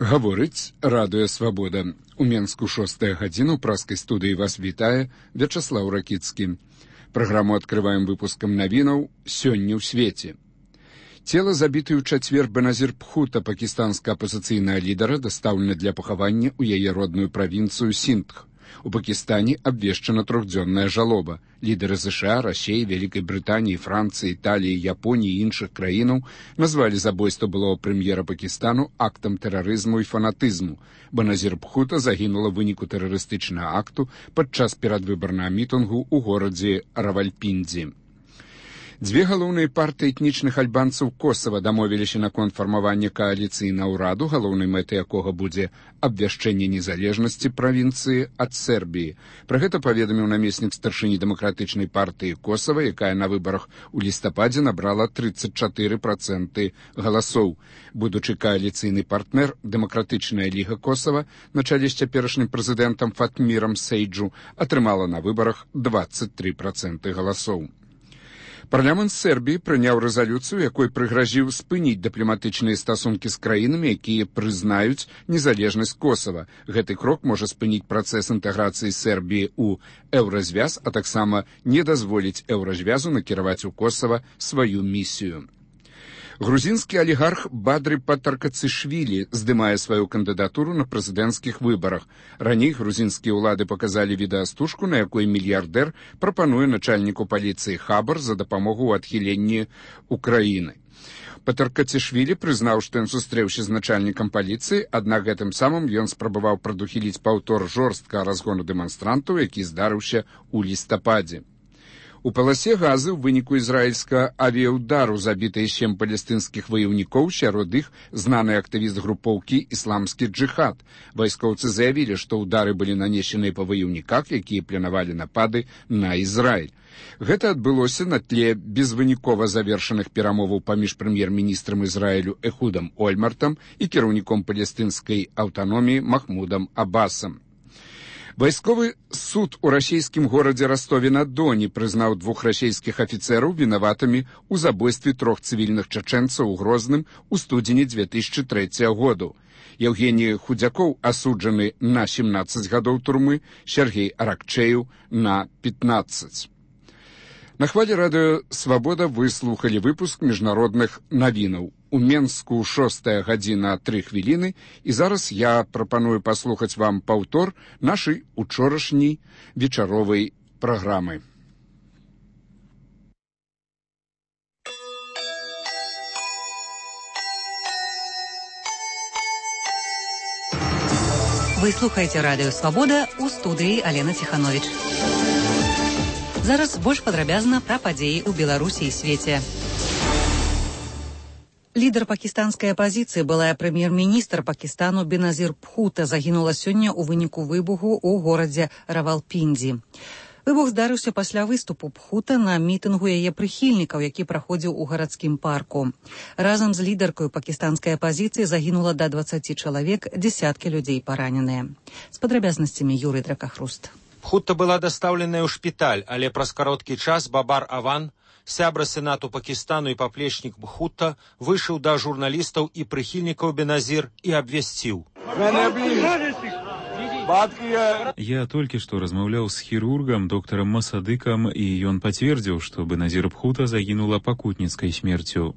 Гаворыць радыё «Свабода». У Менску 6 гадзіна ў праскай студыі вас вітае Вячаслаў Ракіцкі. Праграму адкрываем выпускам навінаў «Сёння ў свеце». Цела забітай у чацвер Беназір Бхутта, пакістанскага апазіцыйнага лідара, дастаўлена для пахавання ў яе родную правінцыю Сіндх. У Пакістане абвешчана трохдзённая жалоба. Лідары США, Расіі, Вялікай Брытаніі, Францыі, Італіі, Японіі і іншых краінаў назвалі забойства былога прэм'ера Пакістану актам тэрарызму і фанатызму. Беназір Бхутта загінула ў выніку тэрарыстычнага акту падчас перадвыбарнага мітынгу ў горадзе Равальпіндзі. Дзве галоўныя партыі этнічных альбанцаў Косава дамовіліся наконт фармавання кааліцыйнага ўраду, галоўнай мэтай якога будзе абвяшчэнне незалежнасці правінцыі ад Сербіі. Пра гэта паведаміў намеснік старшыні дэмакратычнай партыі Косава, якая на выбарах у лістападзе набрала 34% галасоў. Будучы кааліцыйны партнер, дэмакратычная ліга Косава на чале з цяперашнім прэзідэнтам Фатмірам Сейджу атрымала на выбарах 23% галасоў. Парламент Сербіі прыняў рэзалюцыю, якой прыгразіў спыніць дыпламатычныя стасункі з краінамі, якія прызнаюць незалежнасць Косава. Гэты крок можа спыніць працэс інтэграцыі Сербіі ў еўразвяз, а таксама не дазволіць еўразвязу накіраваць у Косава сваю місію. Грузінскі алігарх Бадры Патаркацышвілі здымае сваю кандыдатуру на прэзідэнцкіх выбарах. Раней грузінскія ўлады паказалі відэастужку, на якой мільярдэр прапануе начальніку паліцыі Хабар за дапамогу ў адхіленні Украіны. Патаркацышвілі прызнаў, што ён сустрэўся з начальнікам паліцыі, аднак гэтым самым ён спрабаваў прадухіліць паўтор жорсткага разгону дэманстрантаў, які здарыўся ў лістападзе. У паласе газы ў выніку ізраільскага авіяўдару забітыя 7 палестынскіх ваяўнікоў, сярод іх знаны актывіст групоўкі «Ісламскі джыхад». Вайскоўцы заявілі, што ўдары былі нанесеныя па ваяўніках, якія планавалі напады на Ізраіль. Гэта адбылося на тле безвынікова завершаных перамоваў паміж прэм'ер-міністрам Ізраілю Эхудам Ольмартам і кіраўніком палестынскай аўтаноміі Махмудам Аббасам. Вайсковы суд у расійскім горадзе Ростове-на-Доне прызнаў 2 расійскіх афіцэраў вінаватымі ў забойстве 3 цывільных чачэнцаў у Грозным у студзені 2003 году. Евгеній Худзякоў асуджаны на 17 гадоў турмы, Сергей Аракчеев на 15. На хвалі радыё «Свабода» вы слухалі выпуск міжнародных навінаў. У Менску 6 гадзіна 3 хвіліны, і зараз я прапаную паслухаць вам паўтор нашай учорашняй вечаровай праграмы. Вы слухаеце радыё «Свабода», у студыі Алена Ціхановіч. Зараз больш падрабязна пра падзеі ў Беларусі і свеце. Лідар пакістанскай апазіцыі, былая прэм'ер-міністр Пакістану Беназір Бхутта, загінула сёння ў выніку выбуху ў горадзе Равалпіндзі. Выбух здарыўся пасля выступу Бхутта на мітынгу яе прыхільнікаў, які праходзіў у гарадскім парку. Разам з лідаркой пакістанскай апазіцыі загінула да 20 чалавек, дзесяткі людзей параненыя. З падрабязнасцямі Юрый Дракахруст. Бхутта была дастаўленая ў шпіталь, але праз кароткі час Бабар Аван, сябра сенату Пакістану і паплечнік Бхутта, выйшаў да журналістаў і прыхільнікаў Беназір і абвясціў. Я толькі што размаўляў з хірургам, доктарам Масадыкам, і ён пацвердзіў, што Беназір Бхутта загінула пакутніцкай смерцю.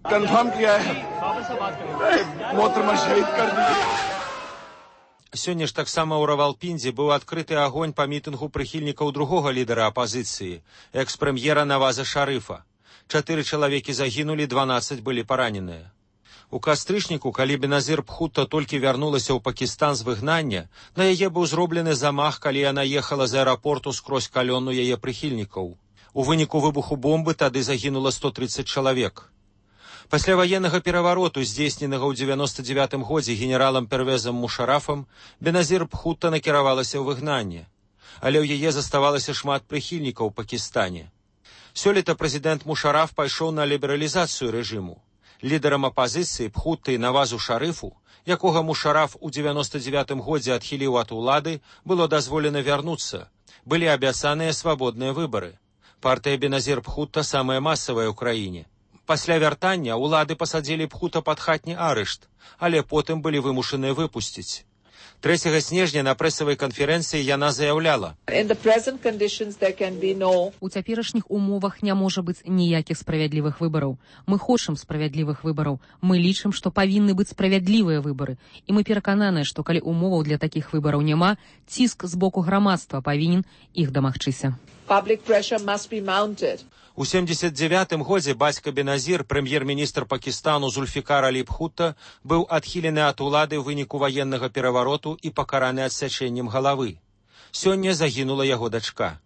Сёння ж таксама ў Равалпіндзі быў адкрыты агонь па мітынгу прыхільнікаў другога лідара апазіцыі, экс-прэм'ера Наваза Шарыфа. 4 чалавекі загінулі, 12 былі параненыя. У кастрычніку, калі Беназір Бхутта толькі вярнулася ў Пакістан з выгнання, на яе быў зроблены замах, калі яна ехала з аэрапорту скрозь калёну яе прыхільнікаў. У выніку выбуху бомбы тады загінула 130 чалавек. Пасля ваеннага перавароту, здзейсненага ў 99 годзе генералам Первезам Мушарафам, Беназір Бхутта накіравалася ў выгнанне. Але ў яе заставалася шмат прыхільнікаў у Пакістане. Сёлета прэзідэнт Мушараф пайшоў на лібералізацыю рэжыму. Лідарам апазіцыі Бхутты і Навазу Шарыфу, якога Мушараф у 99 годзе адхіліў ад улады, было дазволена вярнуцца. Былі абяцаныя свабодныя выбары. Партыя Беназір Пхута самая масавая ў краіне. Пасля вяртання ўлады пасадзілі Пхута пад хатні арышт, але потым былі вымушаныя выпусціць. 3 снежня на прэсавай канферэнцыі яна заяўляла: У цяперашніх умовах не можа быць ніякіх справядлівых выбараў. Мы хочам справядлівых выбараў. Мы лічым, што павінны быць справядлівыя выбары. І мы перакананыя, што калі умоваў для такіх выбараў няма, ціск з боку грамадства павінен іх дамагчыся. У 79-м годзе бацька Беназір, прэм'ер-міністр Пакістану Зульфікар Алі Пхута, быў адхілены ад улады ў выніку ваеннага перавароту і пакараны адсячэннем галавы. Сёння загінула яго дачка.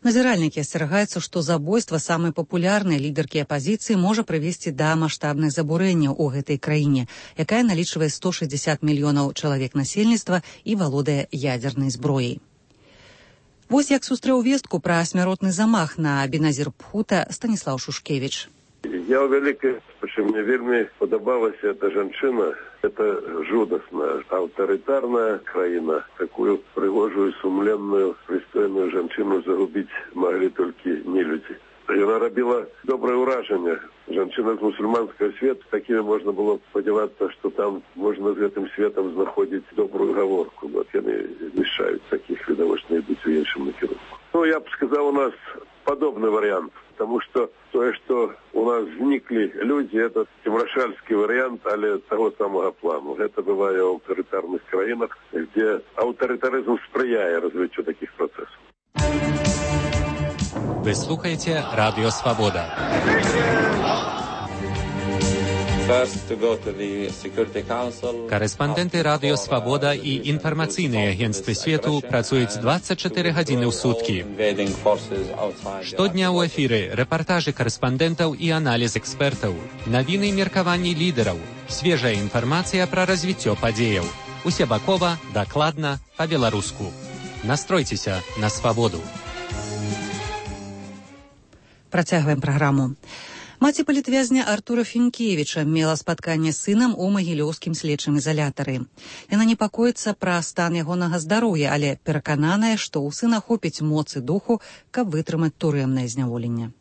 Назіральнікі асцерагаюцца, што забойства самай папулярнай лідаркі апазіцыі можа прывесці да маштабных забурэнняў у гэтай краіне, якая налічвае 160 мільёнаў чалавек насельніцтва і валодае ядзернай зброяй. Вось як сустрэў вестку пра смяротны замах на Беназір Пхута Станіслаў Шушкевіч. Я ў вялікай, мне вельмі падабалася эта жанчына. Это жудасная, аўтарытарная краіна. Такую прыгожую, сумленную, прыстойную жанчыну загубіць маглі толькі нелюдзі. Яна рабіла добрае ўражанне. Жанчына з мусульманскага свету, такімі можна было спадзявацца, што там можна з гэтым светам знаходзіць добрую гаворку. Вот яны мешаюць такіх відавочна ідуць у іншым накірунку. Я б сказаў, у нас падобны варыянт, потому что тое, што у нас зніклі людзі, это цемрашальскі варыянт, але таго самага плану. Гэта бывае ў аўтарытарных краінах, дзе аўтарытарызм спрыяе развіццю такіх працэсаў. Вы слухаете Радио Свобода. Корэспандэнты Радио Свобода і інфармацыйныя агенцтвы свету працуюць 24 гадзіны ў суткі. Штодня ў эфіры рэпартажы корэспандэнтаў і аналіз экспертаў, навіны і меркаванні лідараў, свежая інфармацыя пра развіццё падзеяў. Усебакова, дакладна, па-беларуску. Настройцеся на свабоду. Працягваем праграму. Маці палітвязня Артура Фінкевіча мела спатканне з сынам у магілёўскім следчым ізалятары. Яна непакоіцца пра стан ягонага здароўя, але перакананая, што ў сына хопіць моцы духу, каб вытрымаць турэмнае зняволенне.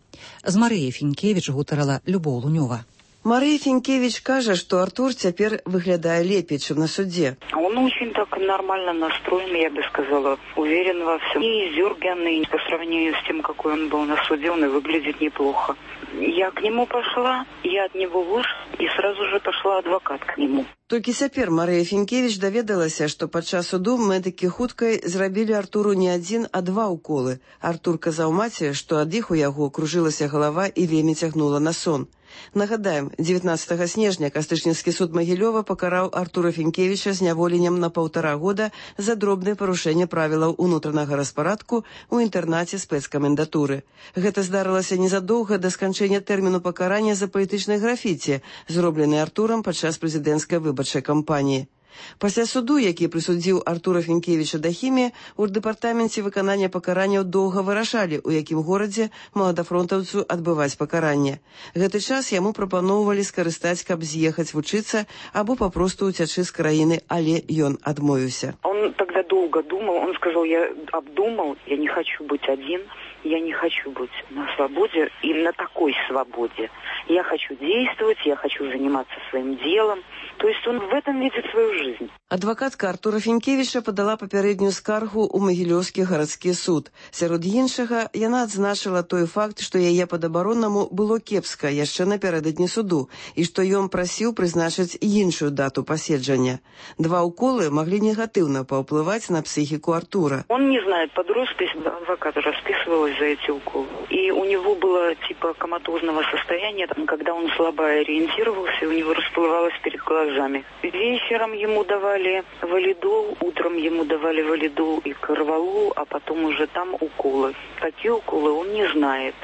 З Марыяй Фінкевіч гутарала Любоў Лунёва. Мария Финкевич кажа, что Артур теперь выглядает лепее, чем на суде. Он очень так нормально настроен, я бы сказала, уверен во всем. И издерганный по сравнению с тем, какой он был на суде, он и выглядит неплохо. Я к нему пошла, я от него вышла, и сразу же пошла адвокат к нему. Толькі цяпер Мария Фінкевіч даведалася, што падчас суду медыкі хуткай зрабілі Артуру не адзін, а 2 уколы. Артур казаў маці, што ад іх у яго кружылася галава і вельмі цягнула на сон. Нагадаем, 19 снежня Кастычніцкі суд Магілёва пакараў Артура Фінкевіча зняволеннем на 1,5 года за дробнае парушэнне правілаў унутранага распарадку ў інтэрнаце спецкамендатуры. Гэта здарылася незадоўга да сканчэння тэрміну пакарання за палітычнай графіці, зроблены Артурам падчас прэзідэнцкай выбарчай кампаніі. Пасля суду, які прысудзіў Артура Фінкевіча да хіміі, у дэпартаменце выканання пакаранняў доўга вырашалі, у якім горадзе маладафронтаўцу адбываць пакаранне. Гэты час яму прапаноўвалі скарыстаць, каб з'ехаць вучыцца або папросту уцячы з краіны, але ён адмовіўся. Он тогда долго думал, он сказал, я обдумал, я не хочу быть один, я не хочу быть на свободе и на такой свободе. Я хочу действовать, я хочу заниматься своим делом. То есть он в этом видит свою жизнь. Адвакатка Артура Фінкевіча падала папярэднюю скаргу ў Магілёўскі гарадскі суд. Сярод іншага, яна адзначыла той факт, што яе падабароннаму было кепска яшчэ напярэдадні суду, і што ён прасіў прызначыць іншую дату паседжання. 2 уколы маглі негатыўна паўплываць на психику Артура. Он не знает, под роспись адвоката расписывалась за эти уколы. И у него было типа коматозного состояния, когда он слабо ориентировался, у него расплывалось перед глазами. Вечером ему давали валидол, утром ему давали валидол и карвалол, а потом уже там уколы. Какие уколы, он не знает.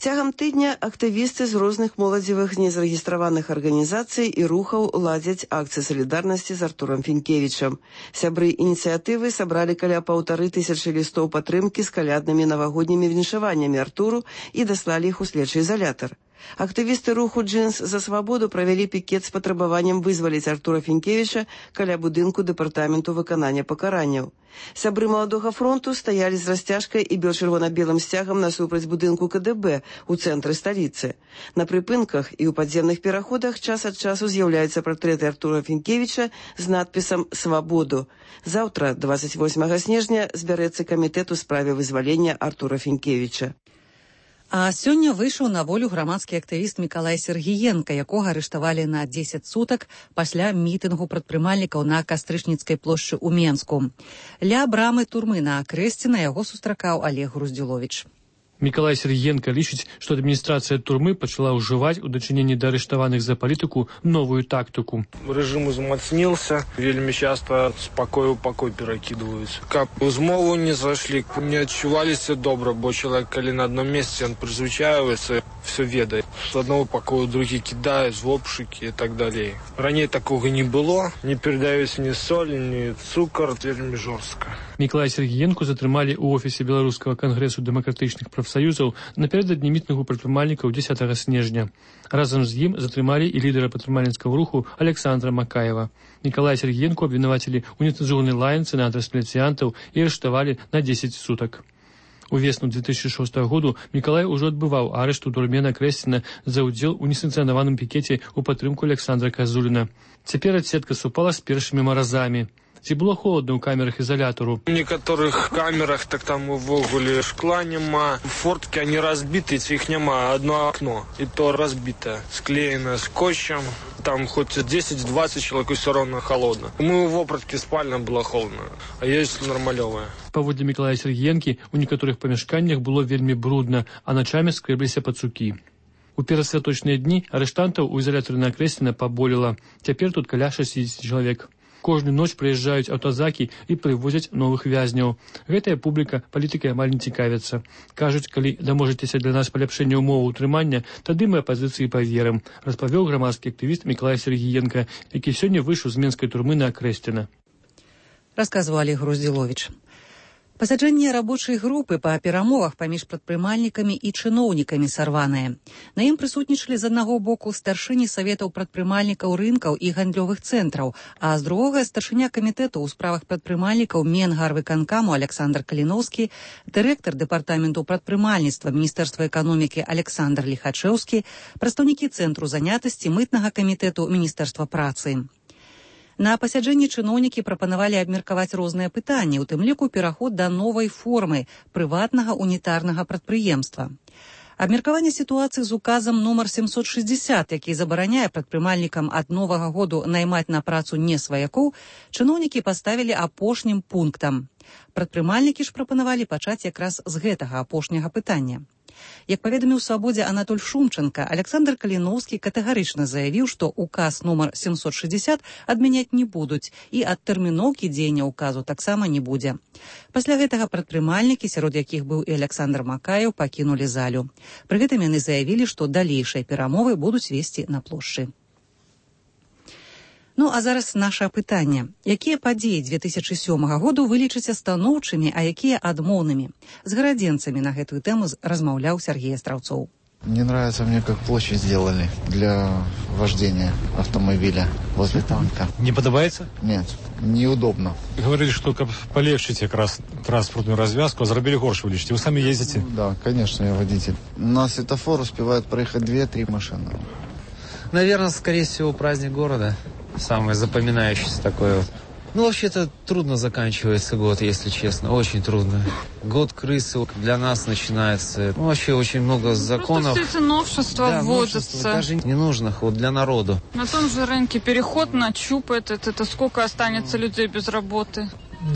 Цягам тыдня актывісты з розных моладзевых незарэгістраваных арганізацый і рухаў ладзяць акцыі салідарнасці з Артурам Фінкевічам. Сябры ініцыятывы сабралі каля 1500 лістоў падтрымкі з каляднымі навагоднімі віншаваннямі Артуру і даслалі іх у следчы ізалятар. Актывісты руху «Джинс за свабоду» правялі пікет з патрабаваннем вызваліць Артура Фінкевіча каля будынку дэпартаменту выканання пакаранняў. Сябры маладога фронту стаялі з расцяжкай і бел-чырвона-белым сцягам насупраць будынку КДБ у цэнтры сталіцы. На прыпынках і ў падземных пераходах час ад часу з'яўляюцца партрэты Артура Фінкевіча з надпісам «Свабоду». Заўтра, 28 снежня, збярэцца камітэт у справе вызвалення Артура Фінкевіча. А сёння выйшаў на волю грамадскі актывіст Мікалай Сергіенка, якога арыштавалі на 10 сутак пасля мітынгу прадпрымальнікаў на Кастрычніцкай плошчы ў Менску. Ля брамы турмы на Акрэсце на яго сустракаў Олег Груздзіловіч. Мікалай Сергіенка лічыць, што адміністрацыя турмы пачала ўжываць у дачыненні да арыштаваных за палітыку новую тактыку. Рэжым узмацнился, вельмі часто з пакою ў пакой перакідваюць. Каб у змову не зашлі, не адчуваліся добра, бо чалавек, калі на адном месцы, ён прызвычаиваецца, все ведае. З адного пакою другі кідае, з обшукі і так далей. Раней такога не было, не перадаюць ні соль, ні цукар, вельмі жорстка. Мікалая Сергіенку затрымалі ў офісе Беларускага кангрэсу дэмакратычных прафсаюзаў напярэдадні мітынгу прадпрымальнікаў 10 снежня. Разам з ім затрымалі і лідара прадпрымальніцкага руху Александра Макаева. Мікалая Сергіенку абвінавацілі ў нецэнзурнай лаянцы на адрас міліцыянтаў і арыштавалі на 10 сутак. У весну 2006 году Мікалай ужо адбываў арышт у турме на Акрэсціна за ўдзел у несанкцыянаваным пікеце ў падтрымку Александра Казуліна. Цяпер адсетка супала з першымі маразамі. Ці было холодна ў камерах ізалятару? У некаторых камерах так там увогуле шкла няма, форткі они разбіты, ці іх няма, одно окно, і то разбітае, склеена скотчем, там хоць 10-20 чалавек усё роўна холодна. Мы ў вопраткі спальна было холодна, а ёсць нармалёвая. Паводле Мікалая Сергіенкі, у некаторых памяшканнях было вельмі брудна, а начамі скрэбліся пацукі. У перасвяточныя дні арыштантаў у ізалятары на Акрэсціна паболела. Цяпер тут каля 60 чалавек. Кожную ноч прыязджаюць аўтазакі і прывозяць новых вязняў. Гэтая публіка палітыкай амаль не цікавіцца. Кажуць, калі даможаецеся для нас паляпшэння ўмоваў утрымання, тады мы апазіцыі паверым, распавёў грамадскі актывіст Мікалай Сергіенка, які сёння выйшаў з менскай турмы на Акрэсціна. Расказваў Олег Груздзіловіч. Пасяджэнне рабочай групы па перамовах паміж прадпрымальнікамі і чыноўнікамі сарванае. На ім прысутнічалі з аднаго боку старшыні саветаў прадпрымальнікаў рынкаў і гандлёвых цэнтраў, а з другога старшыня камітэту ў справах прадпрымальнікаў Менгарвыканкаму Александр Каліноўскі, дырэктар дэпартаменту прадпрымальніцтва Міністэрства эканомікі Александр Ліхачэўскі, прадстаўнікі цэнтру занятасці мытнага камітэту Міністэрства працы. На пасяджэнні чыноўнікі прапанавалі абмеркаваць розныя пытанні, у тым ліку пераход да новай формы прыватнага унітарнага прадпрыемства. Абмеркаванне сітуацыі з указам нумар 760, які забараняе прадпрымальнікам ад новага году наймаць на працу не сваякоў, чыноўнікі паставілі апошнім пунктам. Прадпрымальнікі ж прапанавалі пачаць якраз з гэтага апошняга пытання. Як паведаміў «Свабодзе» Анатоль Шумченко, Александр Каліноўскі катэгарычна заявіў, што указ нумар 760 адмяняць не будуць і ад тэрміноўкі дзеяння указу таксама не будзе. Пасля гэтага прадпрымальнікі, сярод якіх быў і Александр Макаеў, пакінулі залю. Пры гэтым яны заявілі, што далейшыя перамовы будуць весці на плошчы. Ну, а зараз наша пытанне. Якія падзеі 2007 году вы лічыце станоўчымі, а якія адмоўнымі? З гарадзенцамі на гэтую тэму размаўляў Сергей Астраўцоў. Не нравится мне, как площадь сделали для вождения автомобиля возле танка. Не подобается? Нет, неудобно. Говорили, что как полегчить как раз транспортную развязку, а зарабили горше вы лечите. Вы сами ездите? Да, конечно, я водитель. На светофор успевают проехать 2-3 машины. Наверное, скорее всего, праздник города. Самое запоминающееся такое. Ну, вообще-то трудно заканчивается год, если честно. Очень трудно. Год крысы для нас начинается. Ну, вообще очень много законов. Просто все эти новшества вводятся. Даже ненужных вот для народу. На том же рынке переход на ЧУП. Это сколько останется людей без работы?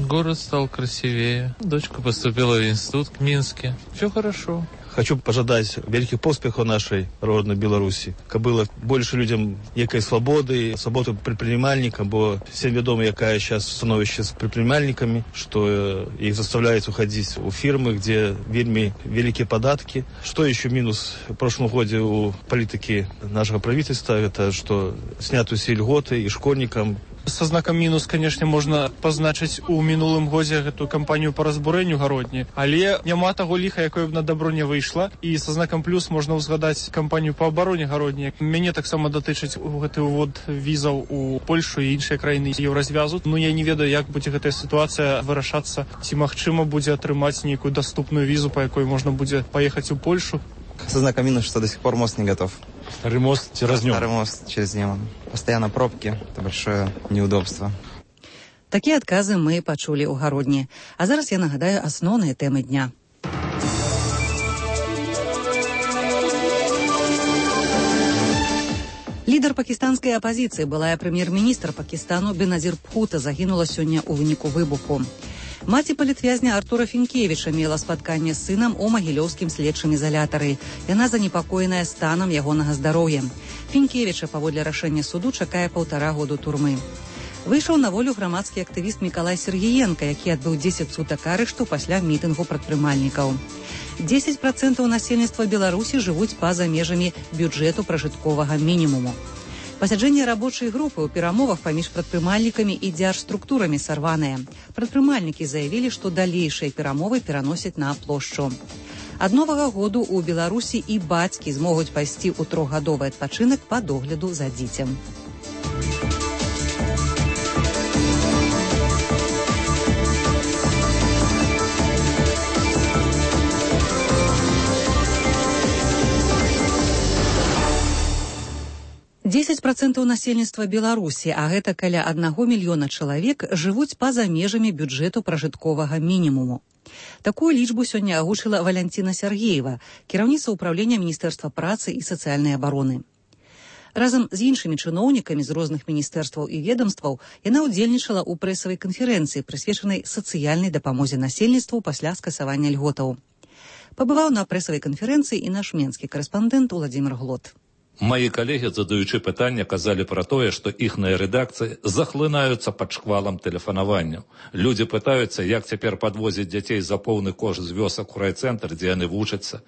Город стал красивее. Дочка поступила в институт в Минске. Все хорошо. Хочу пожадаць вялікіх поспехаў нашай роднай Беларусі, каб было больше людям некай свабоды предпринимальникам, бо всем вядома, якая сейчас становішча з предпринимальниками, что их заставляют уходить у фирмы, где вельмі великие податки. Что еще минус в прошлом году у политики нашего правительства, это что снятые все льготы и школьникам, Со знаком мінус, конечно, можна пазначыць у мінулым годзе гэтую кампанію по разбурэнню гародні, але няма таго ліха, якое б на дабро не выйшла, і со знаком плюс можна ўзгадаць кампанію по абароне гародні. Мяне таксама датычыць гэты ўвод візаў у Польшу і іншыя краіны еўразвязу. Ну, я не ведаю, як будзе гэтая сітуацыя вырашацца, ці магчыма будзе атрымаць нейкую доступную візу, по якой можна будзе паехаць у Польшу. Со знаком минус, что до сих пор мост не готов. Старый мост через Неман. Старый мост через Неман. Постоянно пробки, это большое неудобство. Такія адказы мы пачулі ў гародні. А зараз я нагадаю асноўныя тэмы дня. Лідар пакістанскай апазіцыі, былая прэм'ер-міністр Пакістану Беназір Бхута загінула сёння ў выніку выбуху. Маці палітвязня Артура Фінкевіча мела спатканне з сынам у магілёўскім следчым ізалятары. Яна занепакоеная станам ягонага здароўя. Фінкевіча паводле рашэння суду чакае 1,5 году турмы. Выйшаў на волю грамадскі актывіст Мікалай Сергіенка, які адбыў 10 сутак арышту пасля мітынгу прадпрымальнікаў. 10% насельніцтва Беларусі жывуць па-за межамі бюджэту пражытковага мінімуму. Пасяджэнне рабочай групы ў перамовах паміж прадпрымальнікамі і дзяржструктурамі сарваныя. Прадпрымальнікі заявілі, што далейшыя перамовы пераносяць на плошчу. Ад новага году ў Беларусі і бацькі змогуць пайсці ў 3-гадовы адпачынак па догляду за дзіцем. Дзесяць процентаў насельніцтва Беларусі, а гэта каля 1 мільёна чалавек, жывуць па-за межамі бюджэту пражытковага мінімуму. Такую лічбу сёння агучыла Валянціна Сяргеева, кіраўніца ўпраўлення Міністэрства працы і сацыяльнай абароны. Разам з іншымі чыноўнікамі з розных міністэрстваў і ведомстваў яна ўдзельнічала ў прэсавай канферэнцыі, прысвечанай сацыяльнай дапамозе насельніцтву пасля скасавання льготаў. Пабываў на прэсавай канферэнцыі і наш менскі карэспандэнт Уладзімір Глот. Мои коллеги, задаючи питання, казали про тое, что ихние редакции захлинаются под шквалом телефонованию. Люди пытаются, як теперь подвозить детей за полный кошт з вёсок у райцентр, где они вучатся.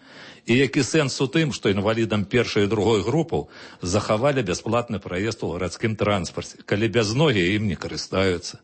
И який сенс у тым, что инвалидам першой и другой группы заховали бесплатный проезд у городским транспорте, коли без ноги им не користаются.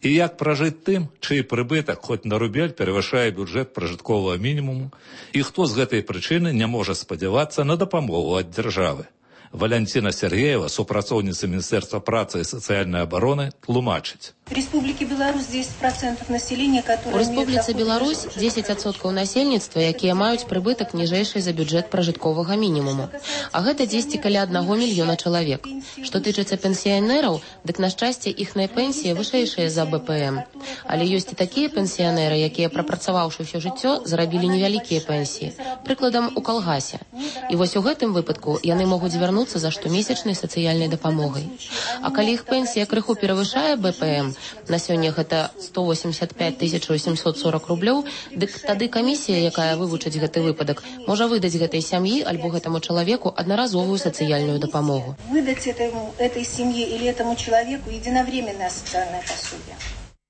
І як пражыць тым, чый прыбытак хоць на рубель перавышае бюджэт пражытковага мінімуму, і хто з гэтай прычыны не можа спадзявацца на дапамогу ад дзяржавы. Валянціна Сергеева, супрацоўніца Міністэрства працы і сацыяльнай абароны, тлумачыць. У Республики Беларусь 10% населения, которые... У Республіцы Беларусь 10% насельніцтва, якія маюць прыбытак ніжэйшы за бюджэт пражытковага мінімуму. А гэта 10 каля 1 мільёна чалавек. Што тычыцца пенсіянераў, дык на шчасце іхныя пенсіі вышэйшыя за БПМ. Але ёсць і такія пенсіянеры, якія, прапрацаваўшы ўсё жыццё, зарабілі невялікія пенсіі. Прыкладам, у калгасе. І вось у гэтым выпадку яны могуць звярнуцца за штомесячнай сацыяльнай дапамогай. А калі іх пенсія крыху перавышае БПМ, на сёння гэта 185 840 рублёў, дык тады камісія, якая вывучыць гэты выпадак, можа выдаць гэтай сям'і альбо гэтаму чалавеку аднаразовую сацыяльную дапамогу. Выдаць этой семье или этому человеку единовременное социальное пособие.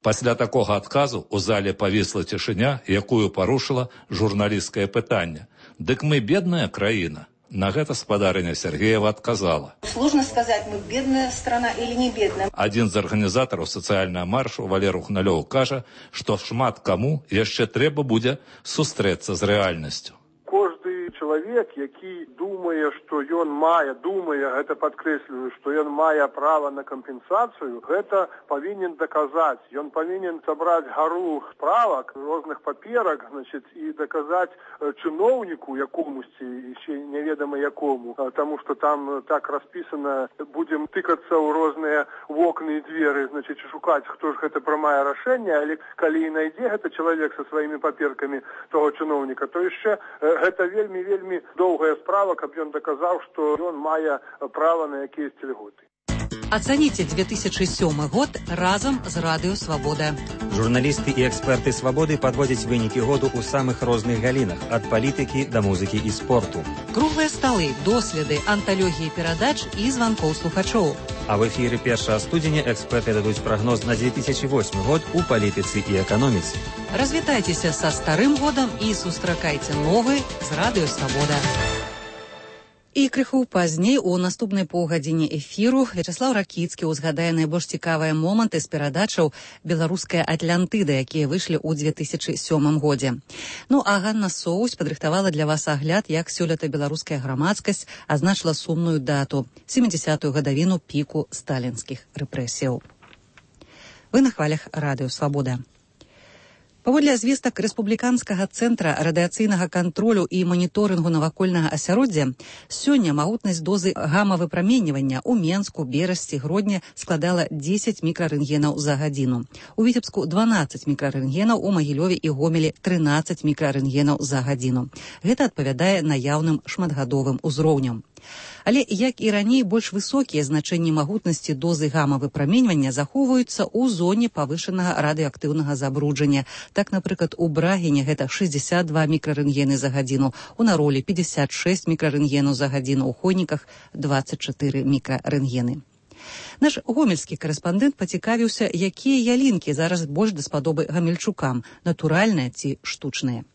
Пасля такога адказу ў зале павісла цішыня, якую парушыла журналісцкае пытанне. Дык мы бедная краіна. На гэта спадарыня Сергеева адказала. Сложно сказать, мы бедная страна или не бедная. Адзін з арганізатараў сацыяльнага маршу Валер Ухналёў кажа, што шмат каму яшчэ трэба будзе сустрэцца з рэальнасцю. Кожны чалавек, які думае, што ён мае, гэта падкрэсліваю, што ён мае права на кампенсацыю, гэта павінен даказаць. Ён павінен сабраць гару справак, розных паперак, і даказаць чыноўніку якомусьці, ще неведама якому, таму што там так распісана, будзем тыкацца ў розныя вокны і дзверы, шукаць, хто ж гэта прымае рашэнне, але калі і найдзе гэта чалавек са сваімі паперкамі того чыноўніка, то яшчэ гэта вельмі доўгая справа, каб ён даказаў, што ён мае права на якіясьці льготы. Ацаніце 2007 год разам з Радыё Свабода. Журналісты і эксперты Свабоды падводзяць вынікі году ў самых розных галінах, ад палітыкі да музыкі і спорту. Круглыя сталы, доследы, анталогіі перадач і званкоў слухачоў. А в эфіры 1 студзеня эксперты дадуць прагноз на 2008 год у палітыцы і эканоміцы. Развітайцеся са старым годам і сустракайце новы з Радыё Свабода. І крыху пазней у наступнай паўгадзіне эфіру Вячаслаў Ракіцкі ўзгадае найбольш цікавыя моманты з перадачаў «Беларуская Атлантыда», якія выйшлі ў 2007 годзе. Ну а Ганна Соусь падрыхтавала для вас агляд, як сёлета беларуская грамадскасць азначыла сумную дату – 70-ю гадавіну піку сталінскіх рэпрэсіяў. Вы на хвалях радыё «Свабода». Паводле звестак Рэспубліканскага цэнтра радыяцыйнага кантролю і маніторынгу навакольнага асяроддзя, сёння магутнасць дозы гама-выпраменьвання ў Менску, Берасці, Гродні складала 10 мікрарэнтгенаў за гадзіну. У Віцебску 12 мікрарэнтгенаў, у Магілёве і Гомелі 13 мікрарэнтгенаў за гадзіну. Гэта адпавядае наяўным шматгадовым узроўням. Але, як і раней, больш высокія значэнні магутнасці дозы гама-выпраменьвання захоўваюцца ў зоне павышанага радыеактыўнага забруджання. Так, напрыклад, у Брагіне гэта 62 мікрарэнтгены за гадзіну, у Наролі 56 мікрарэнтгенаў за гадзіну, у Хойніках 24 мікрарэнтгены. Наш гомельскі карэспандэнт пацікавіўся, якія ялінкі зараз больш даспадобы гамельчукам, натуральныя ці штучныя.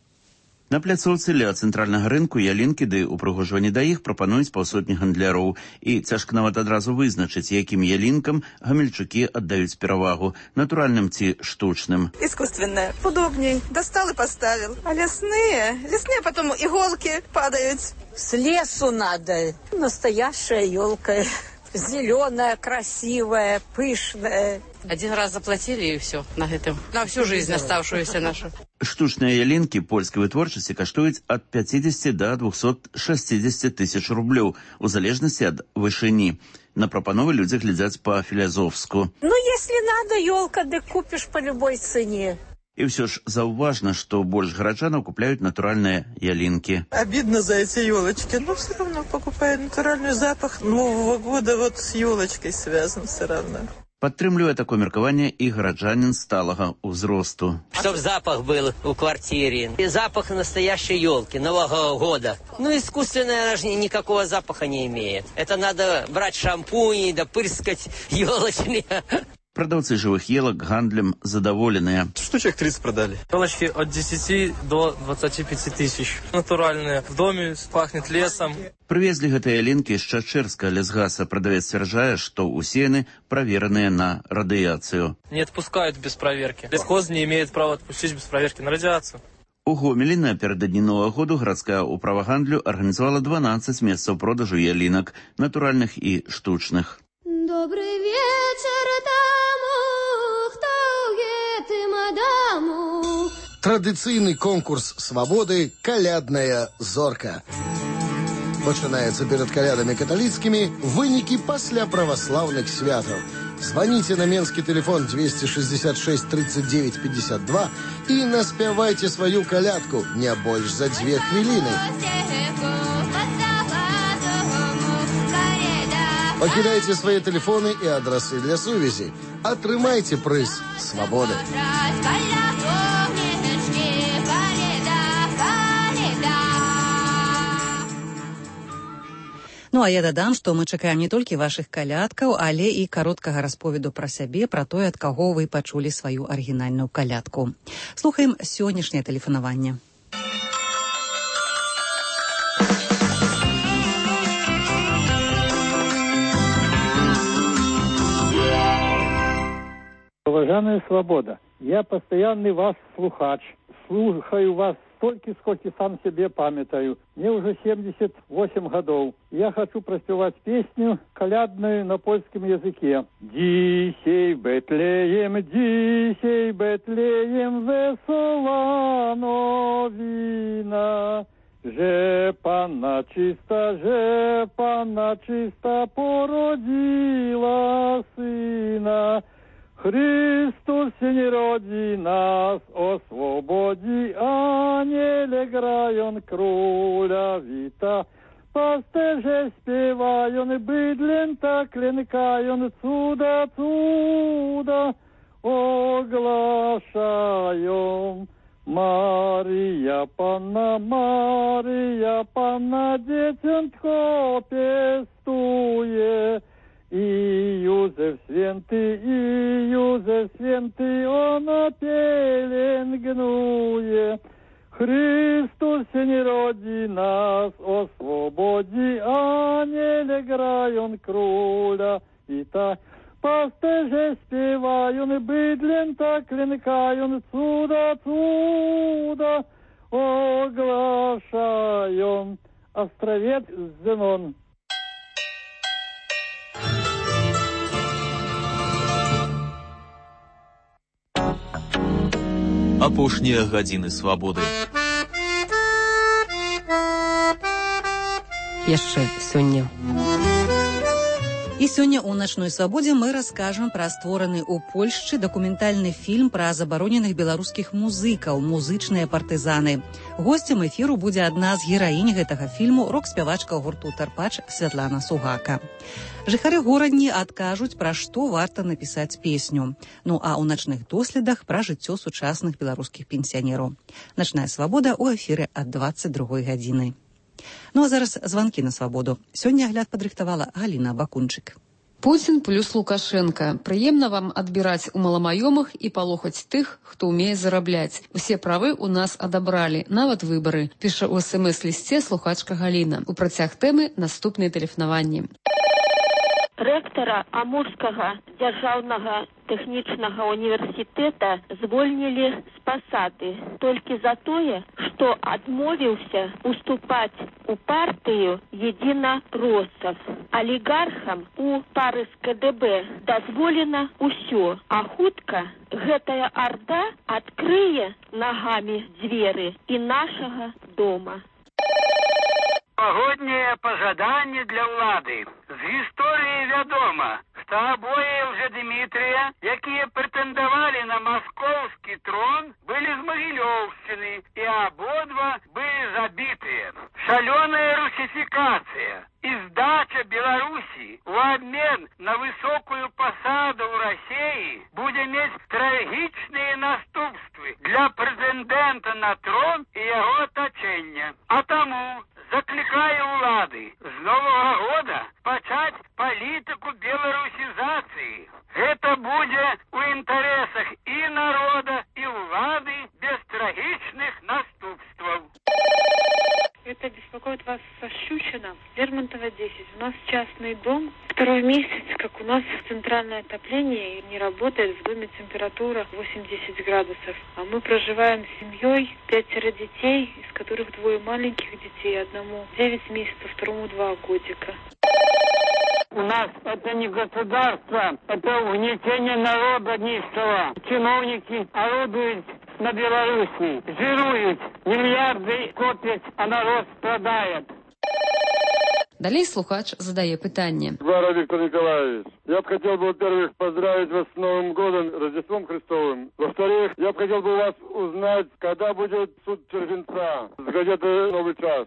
На пляцоўцы ля цэнтральнага рынку ялінкі ды упрыгожванні да іх прапануюць паўсотні гандляроў. І цяжка нават адразу вызначыць, якім ялінкам гамельчукі аддаюць перавагу, натуральным ці штучным. Искусственное. Удобней. Достал и поставил. А лесные потом иголки падают. С лесу надо. Настоящая елка. Зеленая, красивая, пышная. Один раз заплатили и все на этом. На всю жизнь оставшуюся нашу. Штучныя ялінкі польскай вытворчасці каштуюць ад 50 до 260 тысяч рублёў, у залежнасці ад вышыні. На прапановы людзі глядзяць па-філязофску. Ну, если надо елка, да купишь по любой цене. И все ж заўважна, что больше горожан купляют натуральные ялинки. Обидно за эти елочки, но все равно покупают натуральный запах Нового года, вот с елочкой связан все равно. Падтрымлівае такое меркаванне і гараджанін сталага ўзросту. Чтоб запах был у квартире. И запах настоящей елки, Нового года. Ну, искусственная, она же никакого запаха не имеет. Это надо брать шампунь, да пырскать елочными. Продавцы живых елок гандлем задоволенные. Штучек 30 продали. Елочки от 10 до 25 тысяч. Натуральные. В доме пахнет лесом. Привезли гэтыя ялінкі з Чачэрска лясгаса. Продавец сцвярджае, што усеяны правераныя на радыяцыю. Не отпускают без проверки. Лесхоз не имеет права отпустить без проверки на радиацию. У Гомелі напердадні Новага году гарадская ўправа гандлю арганізавала 12 месцаў продажу ялінак, натуральных і штучных. Добрый вечер тому, кто едет мадаму. Традыцыйны конкурс свабоды «Калядная зорка». Пачынаецца перад калядамі каталіцкімі, вынікі пасля праваслаўных святаў. Звоните на менскі телефон 266 39 52 и наспявайте свою калядку не больш за 2 хвилины. Покидайте свои телефоны и адресы для сувязі. Атрымайте прыз свободы. Ну, а я дадам, што мы чакаем не толькі вашых калядкаў, але і кароткага расповеду пра сябе, пра тое, ад каго вы пачулі сваю арыгінальную калядку. Слухаем сённяшняе тэлефанаванне. Уважаемая Свобода, я постоянный вас слухач. Слухаю вас столько, сколько сам себе памятаю. Мне уже 78 годов. Я хочу проспевать песню колядную на польском языке. Дисей Бетлеем, весела новина. Że Panna czysta porodziła syna. Chrystus się nie rodzi, nas oswobodzi, aniele grają króla wita. Pasterze śpiewają, bydlęta klękają, cuda ogłaszają. Maryja Panna, dzieciątko piestuje. I Józef święty, ona pielęgnuje. Chrystus się nie rodzi, nas oswobodzi, a ён кроля і так. По стеже співаю, бидлін так клінкаю, цуда, цуда, оглашаю. Островец Зенон. Апошнія гадзіны свабоды. Яшчэ сёння. І сёння ў начной свабодзе мы раскажам пра створаны ў Польшчы дакументальны фільм пра забароненых беларускіх музыкаў «Музычныя партызаны». Госцем эфіру будзе адна з гераінь гэтага фільму, рок-спявачка гурту «Тарпач» Святлана Сугака. Жыхары горадні адкажуць, пра што варта напісаць песню. Ну а ў начных доследах пра жыццё сучасных беларускіх пенсіянераў. Начная свабода ў эфіры ад 22 гадзіны. Ну а зараз званкі на свабоду. Сёння агляд падрыхтавала Галіна Бакунчык. Путін плюс Лукашенко. Прыемна вам адбіраць у маламаёмых і палохаць тых, хто ўмее зарабляць. Усе правы ў нас адабралі, нават выбары, піша ў СМС-лісце слухачка Галіна. У працяг тэмы наступныя тэлефанаванні. Рэктара Амурскага дзяржаўнага тэхнічнага універсітэта звольнілі з пасады толькі за тое, што адмовіўся уступаць у партыю единороссов. Алігархам у пары з КДБ дазволена ўсё, а хутка гэтая арда адкрые нагамі дзверы і нашага дома. Погоднее пожаданне для ўлады. З гісторыі вядома, што абое Лжедмітрыя, якія прэтэндавалі на маскоўскі трон, былі з Магілёўшчыны, і абодва былі забітыя. Шалёная русифікацыя і здача Беларусі ў абмен на высокую пасаду ў Расіі будзе мець трагічныя наступствы для прэтэндэнта на трон і яго атачэння. А таму закликаю улады с Нового года пачаць палітыку беларусізацыі. Гэта будзе у інтарэсах і народа, і улады без трагічных наступстваў. Это беспокоит вас со Щучина, Лермонтова 10. У нас частный дом. Второй месяц, как у нас центральное отопление не работает, в доме температура 80 градусов. А мы проживаем с семьей, 5 детей, из которых 2 маленьких детей, одному 9 месяцев, второму 2 годика. У нас это не государство, это угнетение народа низкого. Чиновники орудуют на Беларуси, жируют, миллиарды копят, а народ страдает. Далей слухач задае пытанне. Гвара Виктор Николаевич, я бы хотел бы, во-первых, поздравить вас с Новым годом, Рождеством Христовым. Во-вторых, я бы хотел бы у вас узнать, когда будет суд Червенца с газеты «Новый час».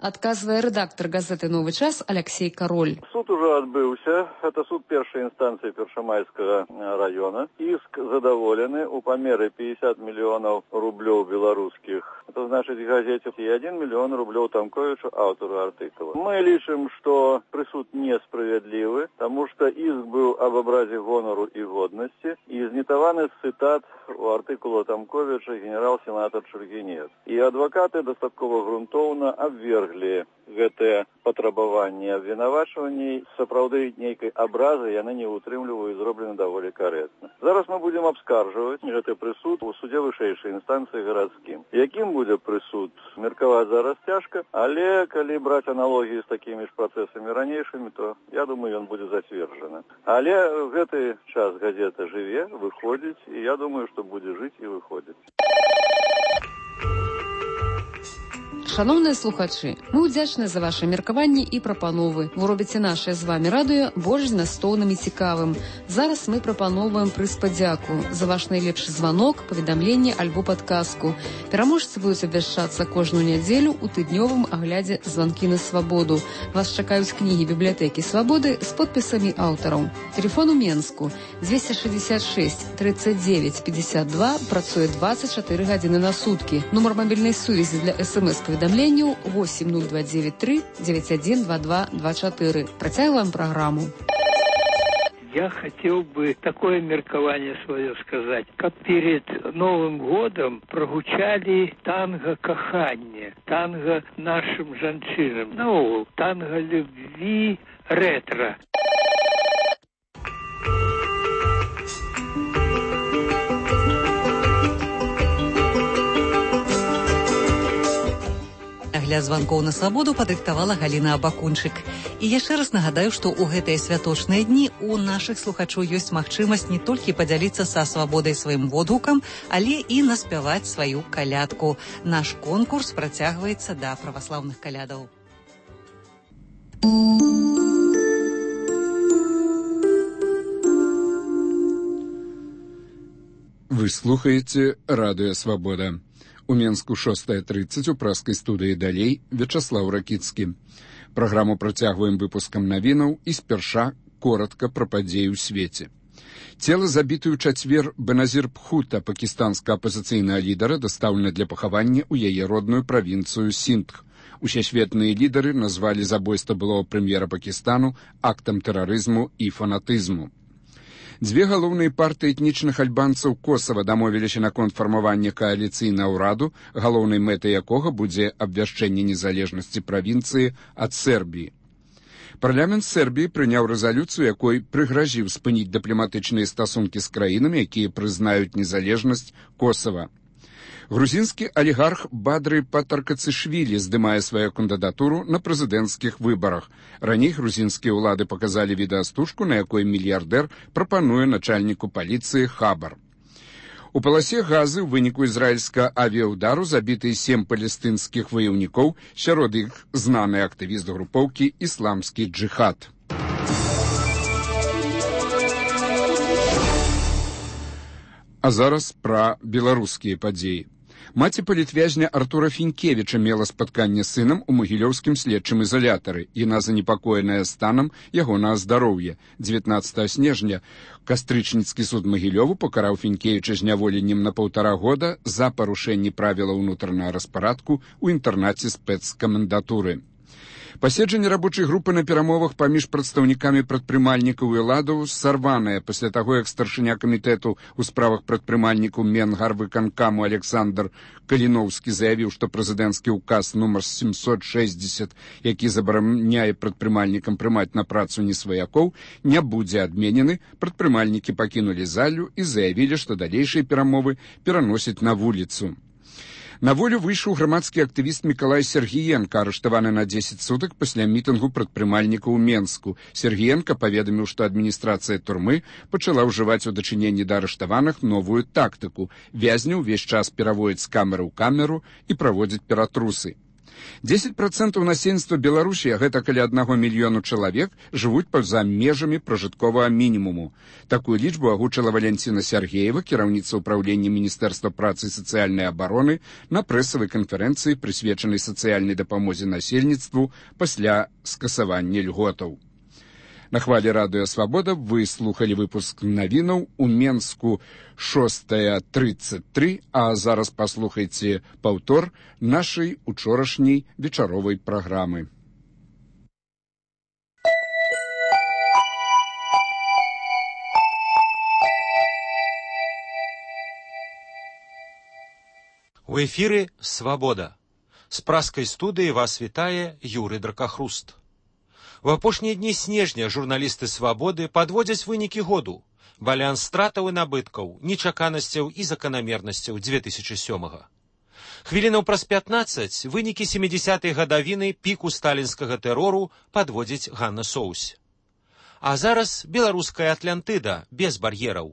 Адказвае рэдактар газеты «Новы час» Алексей Кароль. Суд уже адбыўся. Это суд першай інстанцыі Першамайскага района. Іск задаволены у памеры 50 миллионов рублёў беларускіх. Это значит, в газете и 1 миллион рублёў Тамковичу, автору артыкула. Мы лічым, что прысуд несправедливый, потому что иск был об образе гонору и годности, и знітаваны цитат у артыкула Тамковича генерал-сенатор Чургінец. И адвокаты дастаткова грунтоўна абвергли гэтае патрабаванне абвінавачванняў. Сапраўды нейкай абразы яны не ўтрымліваюць, зроблены даволі карэктна. Зараз мы будем абскаржваць гэты прысуд у суде вышэйшай інстанцыі гарадскім. Якім будзе прысуд, меркаваць зараз цяжка, але калі браць аналогіі з такімі ж працэсамі ранейшымі, то я думаю, ён будзе зацверджаны. Але гэты час газета жыве, выходзіць, і я думаю, што будзе жыць і выходзіць. Шановныя слухачы, мы ўдзячны за ваши меркаванні і прапановы. Вы робіце нашае з вами радыё больш змястоўным і цікавым. Зараз мы прапаноўваем прыз падзяку за ваш найлепшы званок, паведамленне альбо падказку. Пераможцы будуць абвяшчацца кожную нядзелю ў тыднёвым аглядзе «Званкі на свабоду». Вас чакаюць кнігі бібліятэкі свабоды з подпісамі аўтараў. Телефон у Менску 266 39 52, працуе 24 гадзіны на суткі. Нумар мабільнай сувязі для СМС-паведамленняў 80293 912224. Працягваем праграму. Я хотел бы такое меркование свое сказать, как перед Новым годом прогучали танго кахання, танго нашим жанчынам, ну, танго любви, ретро. Для званкоў на свабоду падрыхтавала Галіна Абакунчык. І яшчэ раз нагадаю, што ў гэтыя святочныя дні у нашых слухачоў ёсць магчымасць не толькі падзяліцца са свабодай сваім водгукам, але і наспяваць сваю калядку. Наш конкурс працягваецца да праваслаўных калядаў. Вы слухаеце Радыё Свабода. У Менску 6:30 у праскай студыі далей Вячаслаў Ракіцкі. Праграму працягваем выпускам навінаў і спярша коротка пра падзеі ў свеце. Цела забіты ў чацвер Беназір Бхута, пакістанскага апазіцыйнага лідара, дастаўлена для пахавання ў яе родную правінцыю Синдх. Усесветныя лідары назвалі забойства былога прэм'ера Пакістану актам тэрарызму і фанатызму. Дзве галоўныя партыі этнічных альбанцаў Косава дамовіліся наконт фармавання кааліцыйнага ўраду, галоўнай мэтай якога будзе абвяшчэнне незалежнасці правінцыі ад Сербіі. Парламент Сербіі прыняў рэзалюцыю, якой прыгразіў спыніць дыпламатычныя стасункі з краінамі, якія прызнаюць незалежнасць Косава. Грузінскі алігарх Бадры Патаркацышвілі здымае сваю кандыдатуру на прэзідэнцкіх выбарах. Раней грузінскія ўлады паказалі відэастужку, на якой мільярдэр прапануе начальніку паліцыі хабар. У паласе газы ў выніку ізраільскага авіяўдару забіты 7 палестынскіх ваяўнікоў, сярод іх знаны актывіст групоўкі «Ісламскі джыхад». А зараз пра беларускія падзеі. Маці палітвязня Артура Фінкевіча мела спатканне з сынам у магілёўскім следчым ізалятары. Яна занепакоеная станам ягонага здароўя. 19 снежня кастрычніцкі суд Магілёву пакараў Фінкевіча зняволеннем на 1,5 года за парушэнне правілаў унутранага распарадку ў інтэрнаце спецкамендатуры. Паседжанне рабочай групы на перамовах паміж прадстаўнікамі прадпрымальнікаў і ўладаў сарванае пасля таго, як старшыня камітэту ў справах прадпрымальнікаў Менгарвыканкаму Александр Каліноўскі заявіў, што прэзідэнцкі ўказ нумар 760, які забараняе прадпрымальнікам прымаць на працу несваякоў, не будзе адменены. Прадпрымальнікі пакінулі залю і заявілі, што далейшыя перамовы пераносяць на вуліцу. На волю выйшаў грамадскі актывіст Мікалай Сергіенка, арыштаваны на 10 сутак пасля мітынгу прадпрымальнікаў у Менску. Сергіенка паведаміў, што адміністрацыя турмы пачала ўжываць у дачыненні да арыштаваных новую тактыку. Вязняў увесь час пераводзяць з камеры ў камеру і праводзяць ператрусы. 10% насельніцтва Беларусі, а гэта каля 1 мільёну чалавек, жывуць па-за межамі пражытковага мінімуму. Такую лічбу агучыла Валянціна Сяргеева, кіраўніца ўпраўлення Міністэрства працы і сацыяльнай абароны, на прэсавай канферэнцыі, прысвечанай сацыяльнай дапамозе насельніцтву пасля скасавання льготаў. На хвалі Радыё Свабода вы слухалі выпуск навінаў у Менску 6:33, а зараз паслухайце паўтор нашай учорашняй вечаровай праграмы. У эфіры «Свабода». З праскай студыі вас вітае Юрый Дракахруст. У апошнія дні снежня журналісты «Свабоды» падводзяць вынікі году, баланс стратаў і набыткаў, нечаканасцяў і заканамернасцяў 2007-га. Хвілінаў праз 15 вынікі 70-й гадавіны піку сталінскага тэрору падводзіць Ганна Соусь. А зараз беларуская Атлантыда без бар'ераў.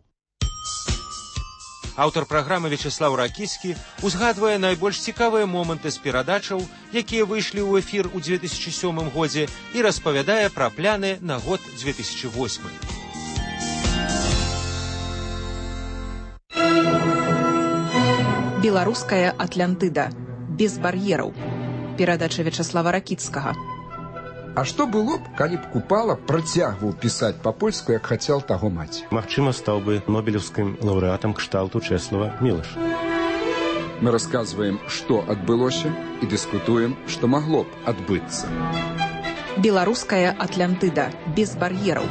Аўтар праграмы Вячаслаў Ракіцкі узгадвае найбольш цікавыя моманты з перадачаў, якія выйшлі ў эфір у 2007 годзе, і распавядае пра пляны на год 2008. Беларуская Атлантыда. Без бар'ераў. Перадача Вячаслава Ракіцкага. А што было б, калі б Купала працягваў пісаць па-польску, як хацеў таго маці? Магчыма, стаў бы нобелеўскім лаўрэатам кшталту Чэслава Мілаша. Мы расказваем, што адбылося, і дыскутуем, што магло б адбыцца. Беларуская Атлантыда. Без бар'ераў.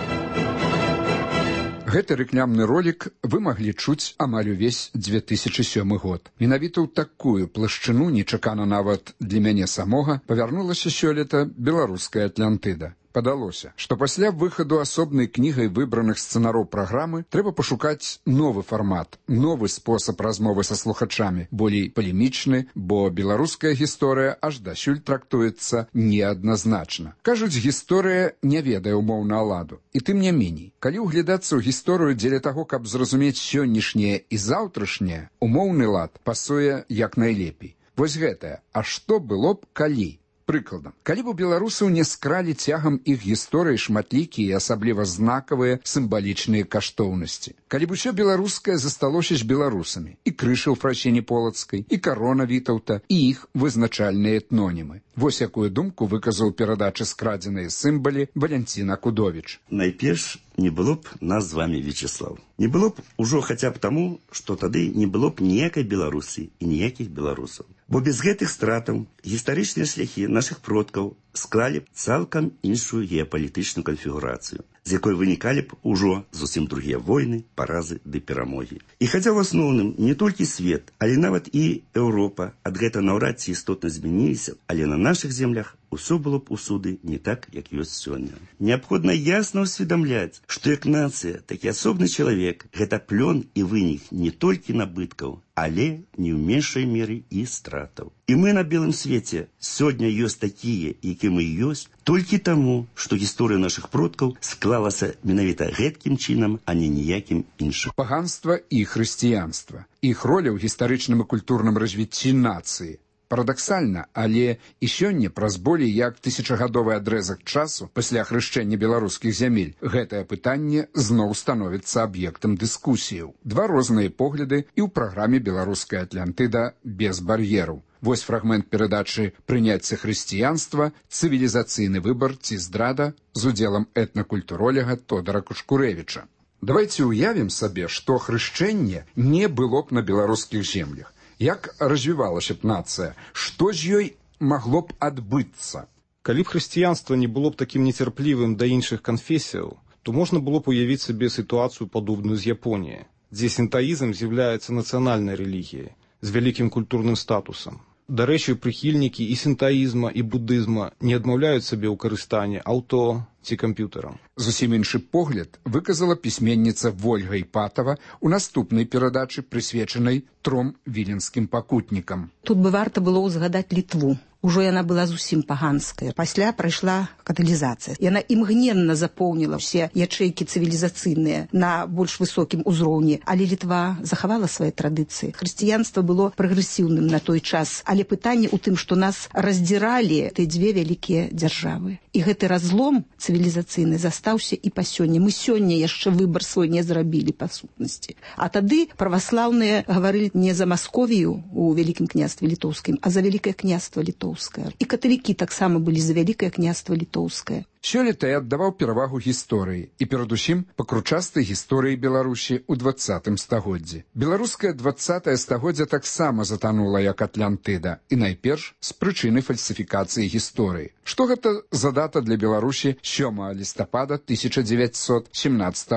Гэты рэкламны ролік вы маглі чуць амаль увесь 2007 год. Менавіта ў такую плашчыну, нечакана нават для мяне самога, павярнулася сёлета беларуская Атлантыда. Падалося, што пасля выхаду асобнай кнігай выбраных сцэнароў праграмы трэба пашукаць новы фармат, новы спосаб размовы са слухачамі, болей палемічны, бо беларуская гісторыя аж дасюль трактуецца неадназначна. Кажуць, гісторыя не ведае умоў на ладу. І тым не меней, калі ўглядацца ў гісторыю дзеля таго, каб зразумець сённяшняе і заўтрашняе, умоўны лад пасуе як найлепей. Вось гэтае, а што было б калі? Прыкладам, калі б у беларусаў не скралі цягам іх гісторыі шматлікія і асабліва знакавыя сімвалічныя каштоўнасці. Калі б усё беларускае засталося з беларусамі, і крыша ў Фрасіні Полацкай, і карона Вітаўта, і іх вызначальныя этнонімы. Вось якую думку выказаў перадачы скрадзеныя сімвалі Валянцін Акудовіч. Найперш, не было б нас з вами, Вячеслав. Не было б ужо хаця б таму, што тады не было б ніякай Беларусі і ніякіх беларусаў. Бо без гэтых стратаў гістарычныя шляхі нашых продкаў склалі б цалкам іншую геапалітычную канфігурацыю, з якой вынікалі б ужо зусім другія войны, паразы ды перамогі. І хаця ў асноўным не толькі свет, але нават і Еўропа ад гэта наўрад ці істотна змяніліся, але на нашых землях усё было б усюды не так, як ёсць сёння. Неабходна ясна ўсведамляць, што як нацыя, так і асобны чалавек гэта плён і вынік не толькі набыткаў, але не ў меншай меры і стратаў. І мы на белым свеце сёння ёсць такія, які мы ёсць, толькі таму, што гісторыя нашых продкаў склалася менавіта гэткім чынам, а не ніякім іншым. Паганства і хрысціянства. Іх роля ў гістарычным і культурным развіцці нацыі. Парадаксальна, але і сёння праз болей як тысячагадовы адрэзак часу пасля хрышчэння беларускіх зямель гэтае пытанне зноў становіцца аб'ектам дыскусіяў. Два розныя погляды і ў праграме «Беларуская Атлантыда» без бар'ераў. Вось фрагмент перадачы «Прыняцце хрысціянства. Цывілізацыйны выбар ці здрада» з удзелам этнакультуролага Тодара Кушкурэвіча. Давайце ўявім сабе, што хрышчэнне не было б на беларускіх землях. Як развівалася б нацыя? Што з ёй магло б адбыцца? Калі б хрысціянства не было б такім нецярплівым да іншых канфесіяў, то можна было б уявіць сабе сітуацыю падобную з Японіяй, дзе сінтаізм з'яўляецца нацыянальнай рэлігіяй з вялікім культурным статусам. Дарэчы, прыхільнікі і сінтаізма, і будызма не адмаўляюць сабе ў карыстанні аўто ці камп'ютарам. Зусім іншы погляд выказала пісьменніца Вольга Іпатава ў наступнай перадачы, прысвечанай 3 віленскім пакутнікам. Тут бы варта было ўзгадаць Літву. Ужо яна была зусім паганская. Пасля прайшла каталізацыя. Яна імгненна запоўніла ўсе ячэйкі цывілізацыйныя на больш высокім узроўні, але Літва захавала свае традыцыі. Хрысціянства было прагрэсіўным на той час, але пытанне ў тым, што нас раздзіралі тыя дзве вялікія дзяржавы. І гэты разлом цывілізацыйны застаўся і па сёння. Мы сёння яшчэ выбар свой не зрабілі па сутнасці. А тады праваслаўныя гаварылі не за Масковію у Вялікім княстве Літоўскім, а за Вялікае княства Літоўскае. І каталікі таксама былі за Вялікае княства Літоўскае. Сёлета я аддаваў перавагу гісторыі і перадусім пакручастай гісторыі Беларусі ў 20 стагоддзі. Беларускае 20 стагоддзя таксама затанула як Атлантыда, і найперш з прычыны фальсіфікацыі гісторыі. Што гэта за дата для Беларусі 7 лістапада 1917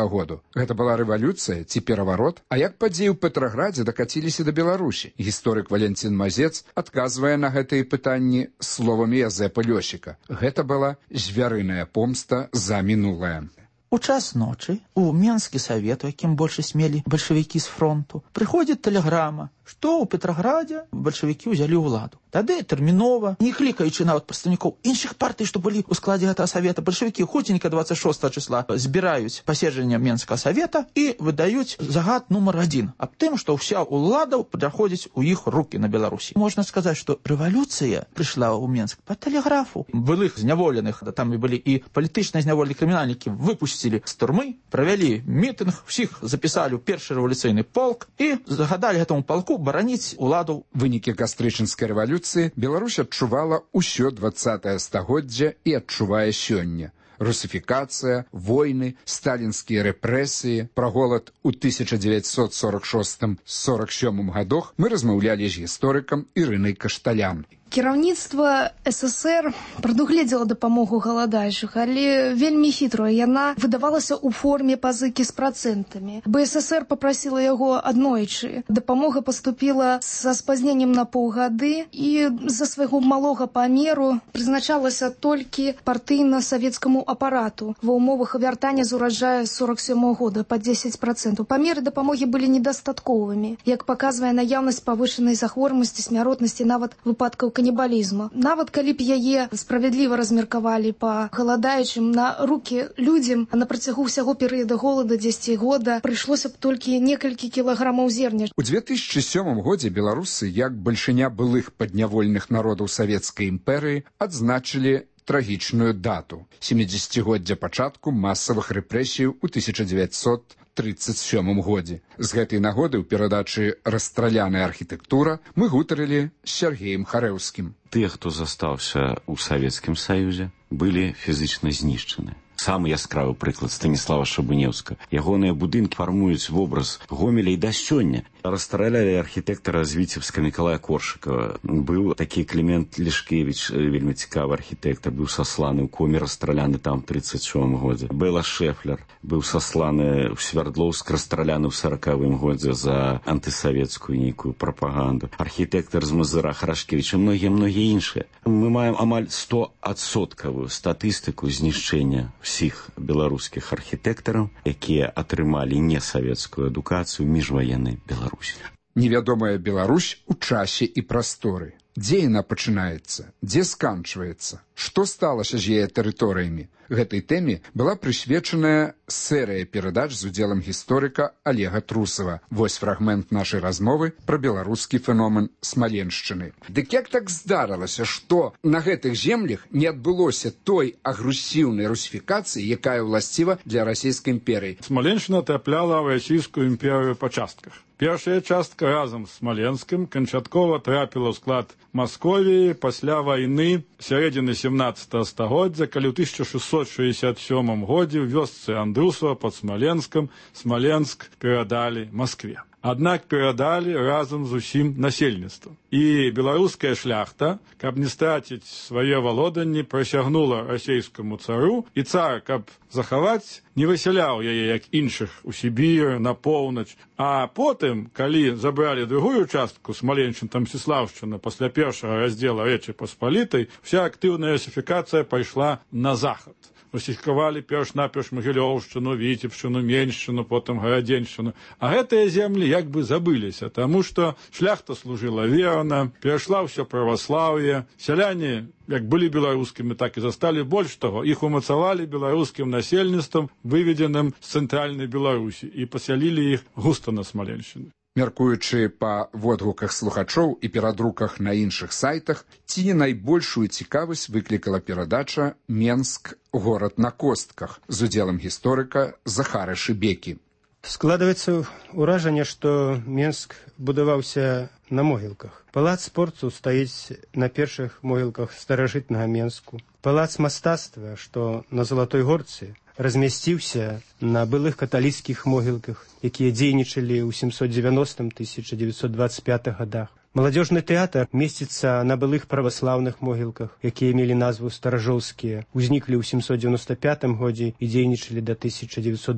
году? Гэта была рэвалюцыя ці пераварот? А як падзеі ў Петраградзе дакаціліся да Беларусі? Гісторык Валянцін Мазец адказвае на гэтыя пытанні словамі Язэпа Лёсіка. Гэта была звярыная помста за мінулае. У час ночы у Менскі савет, у якім большасць мелі бальшавікі з фронту, прыходзіць тэлеграма, што ў Петраградзе бальшавікі ўзялі ўладу. Тады тэрмінова, не клікаючы нават прадстаўнікоў іншых партый, што былі ў складзе гэтага савета, бальшавікі хуценька 26 числа збіраюць паседжанне Менскага савета і выдаюць загад нумар 1 аб тым, што ўся ўлада праходзіць у іх рукі на Беларусі. Можна сказаць, што рэвалюцыя прыйшла ў Менск па тэлеграфу. Былых зняволеных, там і былі і палітычныя зняволеныя крымінальнікі, выпусцілі з турмы, правялі мітынг, усіх запісалі ў першы рэвалюцыйны полк і загадалі гэтаму полку бараніць уладу. Вынікі кастрычынскай рэвалюцыі Беларусь адчувала ўсё 20 стагоддзя і адчувае сёння. Русифікацыя, войны, сталінскія рэпрэсіі, пра голад у 1946-47 гадах мы размаўлялі з гісторыкам Ірынай Кашталян. Кіраўніцтва СССР прадугледзела дапамогу галадаючых, але вельмі хітрая. Яна выдавалася ў форме пазыкі з працэнтамі. БССР попрасіла яго аднойчы. Дапамога паступіла са спазненнем на паўгады і з-за свайго малога памеру прызначалася толькі партыйна-савецкаму апарату ва ўмовах вяртання з ураджая 47 года па 10%. Памеры дапамогі былі недастатковымі, як паказвае наяўнасць павышанай захворванасці, смяротнасці, нават выпадкаў канібалізму. Нават калі б яе справядліва размеркавалі па галадаючым на рукі людзям, на працягу ўсяго перыяда голода 10 года прыйшлося б толькі некалькі кілаграмаў зерня. У 2007 годзе беларусы, як бальшыня былых паднявольных народаў Савецкай імперыі, адзначылі трагічную дату – 70-годдзя пачатку масавых рэпрэсій у 1937 годзе. З гэтай нагоды ў перадачы «Расстраляная архітэктура» мы гутарылі з Сергеем Харэўскім. Тыя, хто застаўся ў Савецкім Саюзе, былі фізічна знішчаны. Самы яскравы прыклад Станіслава Шабунеўска. Ягоныя будынкі фармуюць вобраз Гомеля і да сёння. Расстраляли архітэктара з Віцебска Мікалая Коршыкова. Быў такі Клімент Лішкевіч, вельмі цікавы архітэктар, быў сасланы ў коме, расстраляны там в 1937 годзе. Бэла Шэфлер быў сасланы ў Свердлоўск, расстраляны ў 1940 годзе за антысавецкую нейкую прапаганду. Архітэктар з Мазыра Харашкевіч і многія іншыя. Мы маем амаль 100% статыстыку знішчэння всіх беларускіх архітэктараў, якія атрымалі несавецкую адукацыю міжваеннай Беларусі. Невядомая Беларусь у часе і прасторы. Дзе яна пачынаецца? Дзе сканчваецца? Што сталася з яе тэрыторыямі? Гэтай тэме была прысвечаная серыя перадач з удзелам гісторыка Олега Трусова. Вось фрагмент нашай размовы пра беларускі феномен Смаленшчыны. Дык як так здарылася, што на гэтых землях не адбылося той агрэсіўнай русіфікацыі, якая ўласціва для расійскай імперыі? Смаленшчына трапляла ў расійскую імперыю па частках. Першая частка разам з Смаленскім канчаткова трапіла ў склад Масковіі пасля вайны сярэдзіны 17 стагоддзя, калі ў 1667 годзе ў вёсцы Андрусова пад Смаленскам Смаленск перадалі Маскве. Аднак перадалі разам з усім насельніцтвам. І беларуская шляхта, каб не страціць свае валоданні, прысягнула расійскаму цару, і цар, каб захаваць, не высяляў яе, як іншых, у Сібір, на поўнач. А потым, калі забралі другую частку, Смаленшчына, Мсціслаўшчына, пасля першага раздзела Рэчы Паспалітай, вся актыўная русіфікацыя пайшла на захад. Русіфікавалі перш-наперш Магілёўшчыну, Віцебшчыну, Меншчыну, потым Гарадзеншчыну. А гэтыя землі як бы забыліся, таму што шляхта служыла верна, перайшла ўсё праваслаўе, сяляне як былі беларускімі, так і засталі. Больш таго, іх умацавалі беларускім насельніцтвам, выведзеным з цэнтральнай Беларусі, і пасялілі іх густа на Смаленшчыне. Мяркуючы па водгуках слухачоў і перадруках на іншых сайтах, ці не найбольшую цікавасць выклікала перадача «Менск. Горад на костках» з удзелам гісторыка Захара Шыбекі. Складваецца ўражанне, што Менск будаваўся на могілках. Палац спорту стаіць на першых могілках старажытнага Менску. Палац мастацтва, што на Залатой Горцы, размясціўся на былых каталіцкіх могілках, якія дзейнічалі ў 790-1925 годах. Маладзёжны тэатр месціцца на былых праваслаўных могілках, якія мелі назву старажоўскія, узніклі ў 795 годзе і дзейнічалі да 1928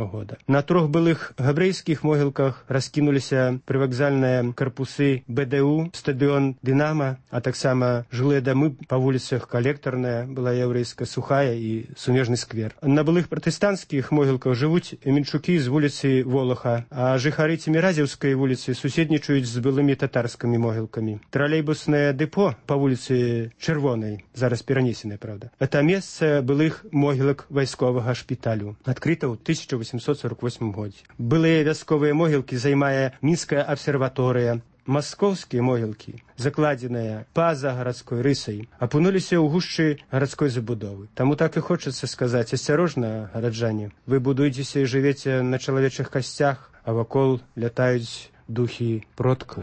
года. На 3 былых габрэйскіх могілках раскінуліся прывакзальныя карпусы БДУ, стадыён Дынама, а таксама жылыя дамы па вуліцах Калектарная, была яўрэйская, Сухая і Сумежны сквер. На былых пратэстанцкіх могілках жывуць мінчукі з вуліцы Волаха, а жыхары Цеміразеўскай вуліцы суседнічаюць з былымі татарамі. Могілкамі. Тралейбуснае дэпо па вуліцы Чырвонай, зараз перанесенае, правда. Это месца былых могілак вайсковага шпіталю, адкрыта ў 1848 годзе. Былыя вясковыя могілкі займае Мінская абсерваторыя. Маскоўскія могілкі, закладзеныя па-за гарадской рысай, апынуліся ў гушчы гарадской забудовы. Таму так і хочацца сказаць: асцярожна, гараджане, вы будуецеся і жывеце на чалавечых касцях, а вакол лятаюць духі продкаў.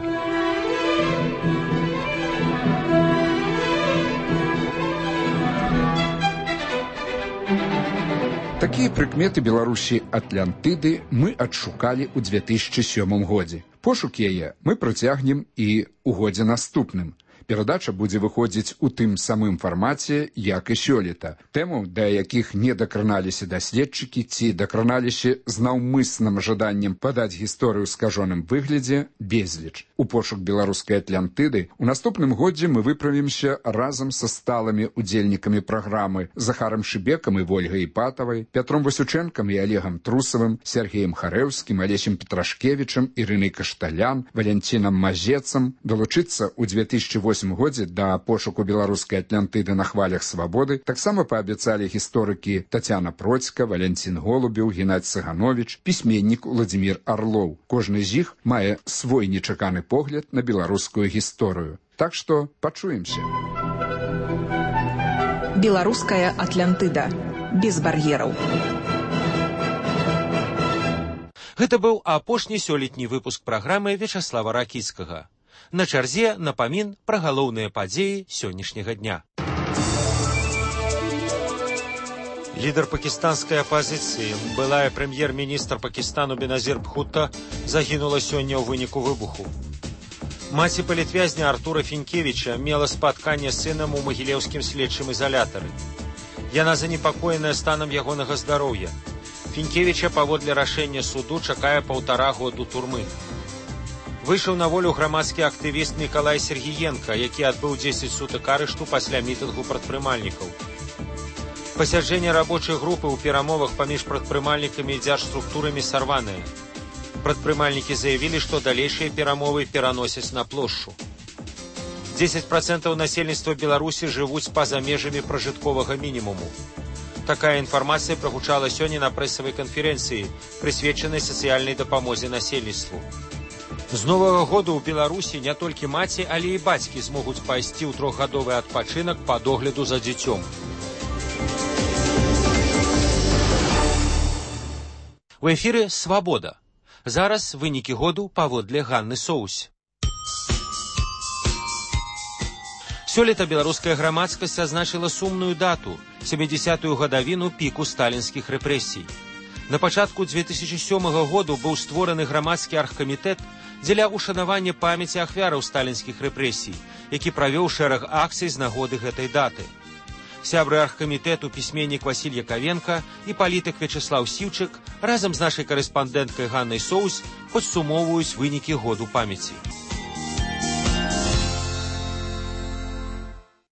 Такія прыкметы Беларусі Атлантыды мы адшукалі ў 2007 годзе. Пошук яе мы працягнем і ў годзе наступным. Перадача будзе выходзіць у тым самым фармаце, як і сёлета. Тэмаў, да якіх не дакраналіся даследчыкі ці дакраналіся з наўмысным жаданнем падаць гісторыю ў скажоным выглядзе, безліч. У пошук беларускай Атлантыды у наступным годзе мы выправімся разам са сталымі удзельнікамі праграмы Захарам Шыбекам і Вольгай Іпатавай, Пятром Васючэнкам і Олегам Трусавым, Сергеем Харэўскім, Алесем Петрашкевічам, Ірынай Кашталян, Валянцінам Мазецам. Долучыцца ў 2008 годзе да пошуку беларускай Атлантыды на хвалях свабоды таксама паабяцалі гісторыкі Тацяна Процька, Валянцін Голубеў, Геннадзь Цыганович, пісьменнік Уладзімір Арлоў. Кожны з іх мае свой нечаканы погляд на беларускую гісторыю. Так што пачуемся. Беларуская Атлантыда. Без бар'ераў. Гэта быў апошні сёлетні выпуск праграмы Вячаслава Ракіцкага. На чарзе напамін пра галоўныя падзеі сённяшняга дня. Лідар пакістанскай апазіцыі, былая прэм'ер-міністр Пакістану Беназір Бхутта, загінула сёння ў выніку выбуху. Маці палітвязня Артура Фінкевіча мела спатканне з сынам у магілеўскім следчым ізалятары. Яна занепакоеная станам ягонага здароўя. Фінкевіча паводле рашэння суду чакае 1,5 году турмы. Выйшаў на волю грамадскі актывіст Мікалай Сергіенка, які адбыў 10 сутак арышту пасля мітынгу прадпрымальнікаў. Пасяджэнне рабочай групы ў перамовах паміж прадпрымальнікамі і дзяржструктурамі сарванае. Прадпрымальнікі заявілі, што далейшыя перамовы пераносяць на плошчу. 10% насельніцтва Беларусі жывуць па-за межамі пражытковага мінімуму. Такая інфармацыя прагучала сёння на прэсавай канферэнцыі, прысвечанай сацыяльнай дапамозе насельніцтву. З новага году ў Беларусі не толькі маці, але і бацькі змогуць пайсці ў 3-гадовы адпачынак па догляду за дзіцём. У эфіры «Свабода». Зараз вынікі году паводле Ганны Соусь. Сёлета беларуская грамадскасць азначыла сумную дату – 70-ю гадавіну піку сталінскіх рэпрэсій. На пачатку 2007 году быў створаны грамадскі аргкамітэт дзеля ушанавання памяці ахвяраў сталінскіх рэпрэсій, які правёў шэраг акцый з нагоды гэтай даты. Сябры аргкамітэту пісьменнік Васіль Якавенка і палітык Вячаслаў Сіўчык разам з нашай карэспандэнткай Ганнай Соусь падсумоўваюць вынікі году памяці.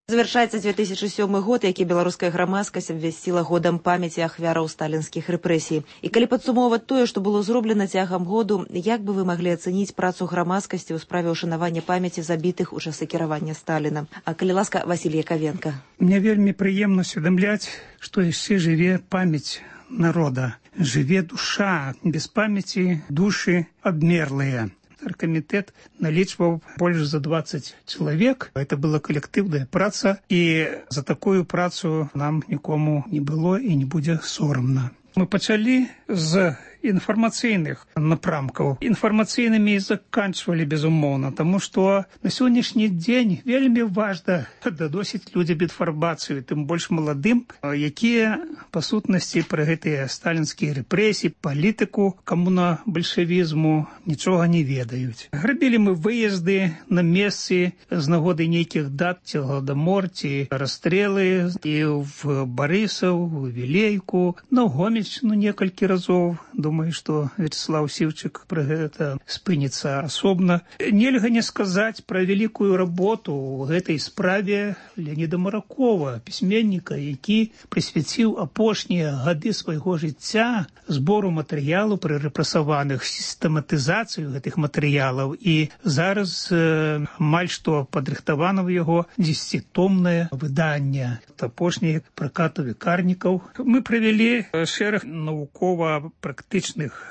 Завяршаецца 2007 год, які беларуская грамадскасць абвясціла годам памяці ахвяраў сталінскіх рэпрэсій. І калі падсумоўваць тое, што было зроблена цягам году, як бы вы маглі ацэніць працу грамадскасці ў справе ўшанавання памяці забітых у часы кіравання Сталіна? А калі ласка, Васіль Якавенка. Мне вельмі прыемна усведамляць, што яшчэ жыве памяць народа. Жыве душа. Без памяці душы абмерлыя. Оргкомитет наличивал больше за 20 человек. Это была коллективная праца, и за такую працу нам нікому не было и не будзе соромно. Мы пачалі з інфармацыйных напрамкаў. Інфармацыйнымі і заканчвалі, безумоўна, таму што на сённяшні дзень вельмі важна дадосіць людзям інфармацыю, тым больш маладым, якія па сутнасці пра гэтыя сталінскія рэпрэсіі, палітыку, камуна-бальшавізму нічога не ведаюць. Рабілі мы выезды на месцы з нагоды нейкіх дат, ці гладамор, ці расстрэлы і в Барысаў, в Вілейку, на Гомельшчыну некалькі разоў. Думаю, што Вячаслаў Сіўчык пра гэта спыніцца асобна. Нельга не сказаць пра вялікую работу ў гэтай справе Леаніда Маракова, пісьменніка, які прысвяціў апошнія гады свайго жыцця збору матэрыялу пра рэпрэсаваных, сістэматызацыю гэтых матэрыялаў. І зараз амаль што падрыхтавана ў яго 10-томнае выданне. Апошні пракату векарнікаў. Мы правялі шэраг навукова-практычных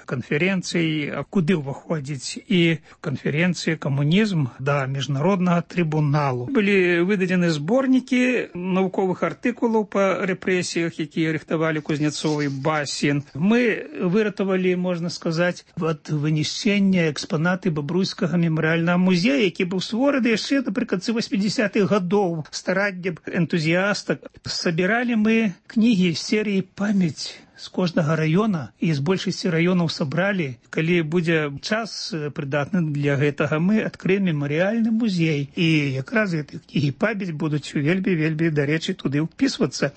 канферэнцый, куды ўваходзіць і канферэнцыя «Камунізм» да міжнароднага трыбуналу. Былі выдадзены зборнікі навуковых артыкулаў па рэпрэсіях, якія рыхтавалі Кузнецов і Басін. Мы выратавалі, можна сказаць, ад вынішчэння экспанаты Бабруйскага мемарыяльнага музея, які быў створаны яшчэ напрыканцы 80-х гадоў стараннем энтузіастак. Сабіралі мы кнігі з серыі «Памяць з кожнага раёна і з большасці раёнаў сабралі. Калі будзе час прыдатны для гэтага, мы адкрыем мемарыяльны музей. І якраз і памяць будуць вельмі, дарэчы, туды ўпісвацца.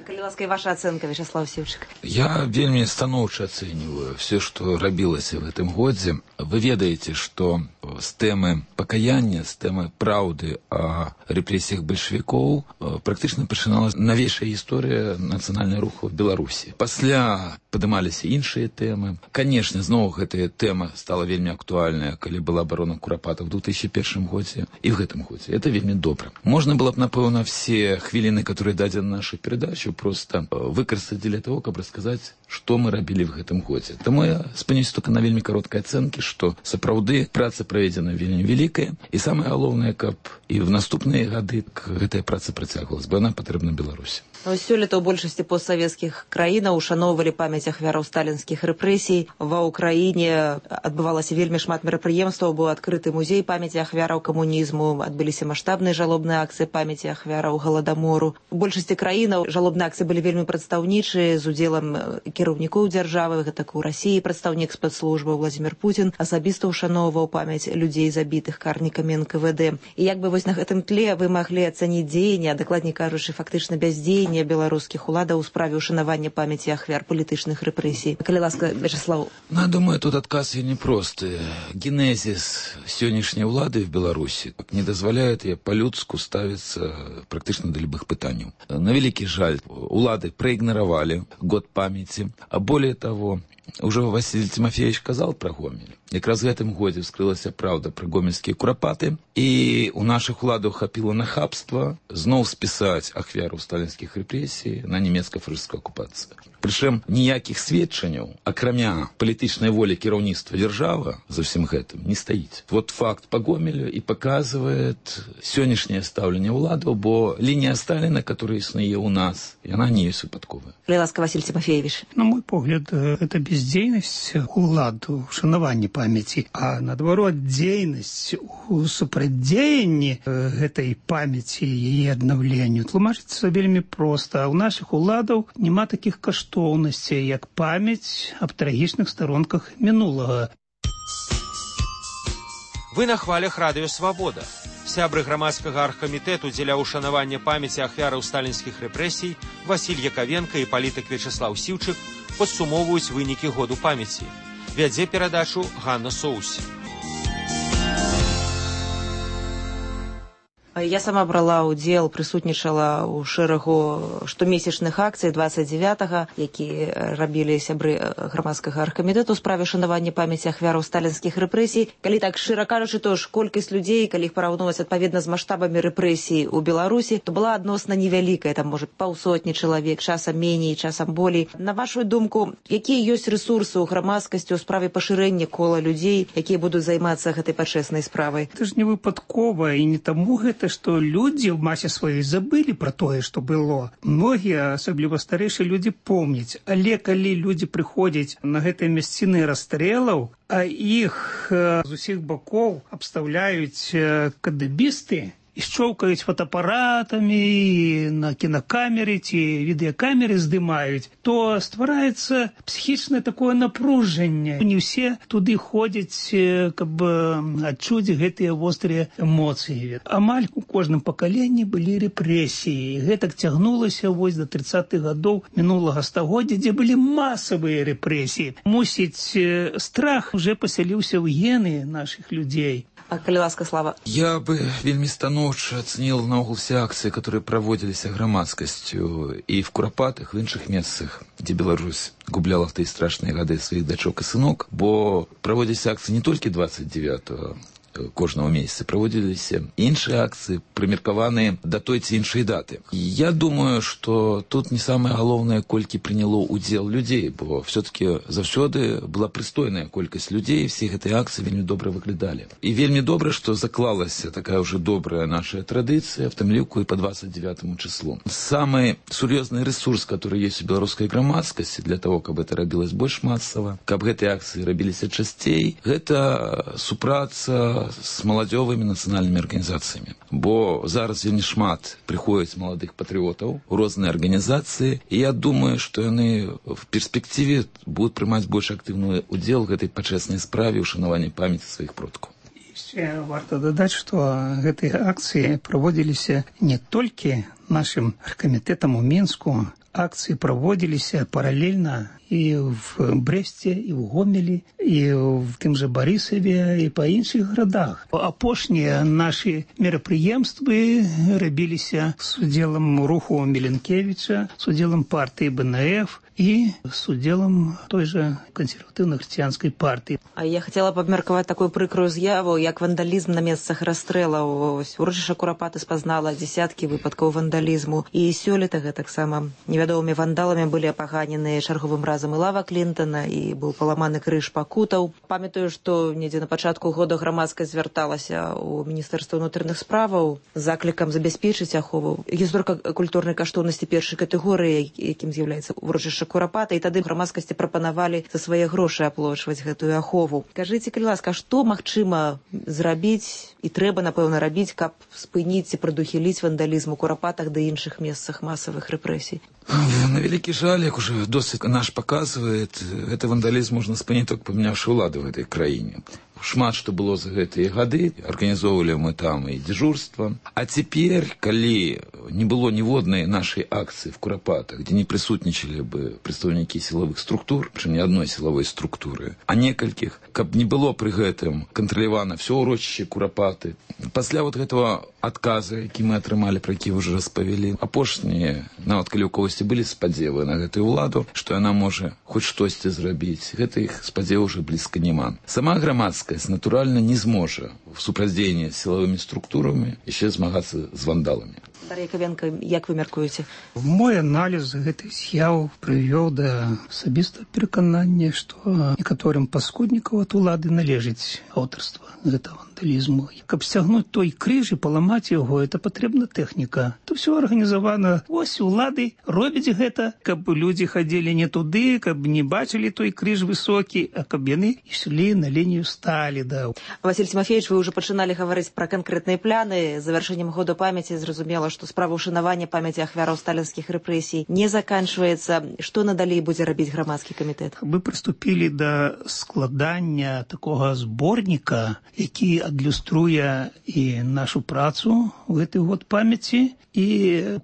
Калі ласка, ваша ацэнка, Вячеслав Сіўчык. Я вельмі станоўча ацэньваю все, што рабілася в гэтым годзе. Вы ведаеце, што з тэмы пакаяння, з тэмы праўды о рэпрэсіях бальшавікоў практычна пачыналася навейшая гісторыя нацыянальнай руху в Беларусі. Пасля падымаліся іншыя тэмы. Канешне, зноў гэтая тэма стала вельмі актуальная, калі была абарона Курапата в 2001 годзе і в гэтым годзе. Это вельмі добра. Можна было б, напэўна, все хвіліны, которые дадзены нашай перадачы, просто выкарыстаць для того, каб расказаць, што мы рабілі в гэтым годзе. Таму я спыняюся только на вельмі кароткай ацэнкі, што сапраўды праца праведзена вельмі вялікая, і самае галоўнае, каб і в наступныя гады гэтая праца працягвалась, бо яна патрэбна Беларусі. Сёлета ў большасці постсавецкіх краінаў ушаноўвалі памяць ахвяраў сталінскіх рэпрэсій. Ва ўкраіне адбывалася вельмі шмат мерапрыемстваў, быў адкрыты музей памяці ахвяраў камунізму, адбыліся маштабныя жалобныя акцыі памяці ахвяраў галадамору. У большасці краінаў жалобныя акцыі былі вельмі прадстаўнічыя, з удзелам кіраўнікоў дзяржавы, гэтак у Расіі прадстаўнік спецслужбы Владзімір Пуцін асабіста ушаноўваў памяць людзей, забітых карнікамі НКВД. І як бы вось на гэтым тле вы маглі ацаніць дзеянні, а дакладней кажучы, фактычна бяздзеянне беларускіх уладаў у справе ушанавання памяці ахвяр палітычных рэпрэсій. Калі ласка, Вячеслав. Я думаю, тут адказ вельмі просты. Генезис сённяшняй улады в Беларусі не дазваляет ей по-людску ставиться практычна да любых пытанняў. На вялікі жаль, улады проигноровали год памяти, а более того, уже Василий Тимофеевич сказал про Гомель. Якраз в гэтым годзе вскрылася праўда пра гомельскія курапаты, і у нашых уладаў хапіла нахабства зноў спісаць ахвяру сталінскіх рэпрэсій на нямецка-фашысцкую акупацыю. Прычым ніякіх сведчанняў, акрамя палітычнай волі кіраўніцтва дзяржавы за ўсім гэтым не стаіць. Вот факт по Гомелю і паказвае сённяшняе стаўленне ўладаў, бо лінія Сталіна, которая існуе ў нас, яна не ёсць выпадковая. Ласка, Василий Тимофеевич. На мой погляд, это бездзейнасць уладу, шанаванне памяці, а наадварот дзейнасць у супрацьдзеянні гэтай памяці і яе аднаўленню тлумачыцца вельмі проста. У нашых уладаў няма такіх каштоўнасцей, як памяць аб трагічных старонках мінулага. Вы на хвалях радыё «Свабода». Сябры грамадскага аргкамітэту дзеля ушанавання памяці ахвяраў сталінскіх рэпрэсій Васіль Якавенка і палітык Вячеслав Сіўчык падсумоўваюць вынікі году памяці. Вядзе перадачу Ганна Соус. Я сама брала ўдзел, прысутнічала ў шэрагу штомесячных акцый 29-га, якія рабілі сябры грамадскага аргкамітэту ў справе шанавання памяці ахвяраў сталінскіх рэпрэсій. Калі так шчыра кажучы, то ж колькасць людзей, калі іх параўноўваць адпаведна з маштабамі рэпрэсій у Беларусі, то была адносна невялікая, там можа паўсотні чалавек, часам меней, часам болей. На вашу думку, якія ёсць рэсурсы ў грамадскасці ў справе пашырэння кола людзей, якія будуць займацца гэтай пачэснай справай? Это ж не выпадкова і не таму гэта, што людзі ў масе сваёй забылі пра тое, што было. Многія, асабліва старэйшыя людзі, помняць. Але калі людзі прыходзяць на гэтыя мясціны расстрэлаў, а іх з усіх бакоў абстаўляюць кадэбісты, і шчоўкаюць фотоапаратамі, на кінакамеры ці відэакамеры здымаюць, то ствараецца псіхічнае такое напружанне. Не ўсе туды ходзяць, каб адчуць гэтыя вострыя эмоцыі. Амаль у кожным пакаленні былі рэпрэсіі. Гэтак цягнулася вось до 30-х гадоў мінулага стагоддзя, дзе былі масавыя рэпрэсіі. Мусіць, страх уже пасяліўся ў гены нашых людзей. А калі ласка, Слава? Я бы вельмі станоўча ацэніл наогул все акцыі, которые праводзіліся грамадскасцю і в Курапатах, в іншых месцах, дзе Беларусь губляла в тыя страшныя гады сваіх дачок і сынок, бо праводзіліся акцыі не толькі 29-го кожного месяца, праводзіліся іншыя акцыі, прымеркаваныя да той ці іншай даты. Я думаю, што тут не самае галоўнае, колькі прыняло ўдзел людзей, бо все-таки заўсёды была прыстойная колькасць людзей, все гэтыя акцыі вельмі добра выглядалі. І вельмі добра, што заклалася такая ўжо добрая наша традыцыя, в тым ліку і по 29 числу. Самы сур'ёзны ресурс, который есть у беларускай грамадскасці для того, каб это рабілось больш масава, каб гэтыя акцыі рабіліся часцей, гэта супраца с маладзёвымі нацыянальнымі арганізацыямі. Бо зараз вельмі шмат прыходзіць маладых патрыётаў у розныя арганізацыі, і я думаю, што яны в перспектыве будуць прымаць больш актыўны удзел в гэтай пачэснай справе ўшанавання памяці сваіх продкаў. Яшчэ варта дадаць, што гэтыя акцыі праводзіліся не толькі нашым аргкамітэтам у Мінску, акцыі праводзіліся паралельна і в Брэсце, і ў Гомелі, і в тым жа Барысаве, і па іншых гарадах. Апошнія нашы мерапрыемствы рабіліся з удзелам руху Міленкевіча, з удзелам партыі БНФ і з удзелам той жа кансерватыўна-хрысціянскай партыі. А я хацела б абмеркаваць такую прыкрую з'яву, як вандалізм на месцах расстрэлаў. Урачышча Курапаты спазнала дзесяткі выпадкаў вандалізму. І сёлета гэтаксама невядомымі вандаламі былі апаганены чарговым разам і лава Клінтана, і быў паламаны крыж пакутаў. Памятаю, што недзе на пачатку года грамадскасць звярталася ў Міністэрства ўнутраных справаў з заклікам забяспечыць ахову гісторыка-культурнай каштоўнасці першай катэгорыі, якім з'яўляецца урачышча Курапата, і тады грамадскасці прапанавалі за свае грошы аплочваць гэтую ахову. Кажыце, калі ласка, што магчыма зрабіць і трэба, напэўна, рабіць, каб спыніць і прадухіліць вандалізм у Курапатах ды іншых месцах масавых рэпрэсій? На вялікі жаль, як уже досвід наш паказвае, гэты вандалізм можна спыніць толькі памяняўшы ўлады ў гэтай краіне. Шмат што было за гэтыя гады, арганізоўвалі мы там і дзяжурства. А цяпер, калі не было ніводнай нашай акцыі в Курапатах, дзе не прысутнічалі бы прадстаўнікі сілавых структур, прычым не адной сілавой структуры, а некалькіх, каб не было пры гэтым кантралявана ўсё ўрочышча Курапаты. Пасля вот гэтага адказа, які мы атрымалі, пра які вы ўжо распавялі, апошнія, нават калі ў кагосьці былі спадзевы на гэтую ўладу, што яна можа хоць штосьці зрабіць, гэтых спадзеваў уже блізка няма. Сама грамадскасць натуральна не зможа в супрацьдзеянні з сілавымі структурамі яшчэ змагацца з вандаламі. Дар'я Кавенка, як вы мяркуеце? Мой аналіз гэтай з'яў прывёў да асабістага пераканання, што некаторым паскуднікаў ад улады належыць аўтарства гэтага вандалізму. Каб сцягнуць той крыж і паламаць яго, это патрэбна тэхніка. То ўсё арганізавана. Вось улады робяць гэта, каб людзі хадзілі не туды, каб не бачылі той крыж высокі, а каб яны ішлі на лінію Сталіна. Василь Тимофеевич, вы ўжо пачыналі гаварыць пра канкрэтныя пляны. Завяршэннем года памяці зразумела, што справа ўшанавання памяці ахвяраў сталінскіх рэпрэсій не заканчваецца. Што надалей будзе рабіць грамадскі камітэт? Мы прыступілі да складання такога зборніка, які адлюструе і нашу працу ў гэты год памяці і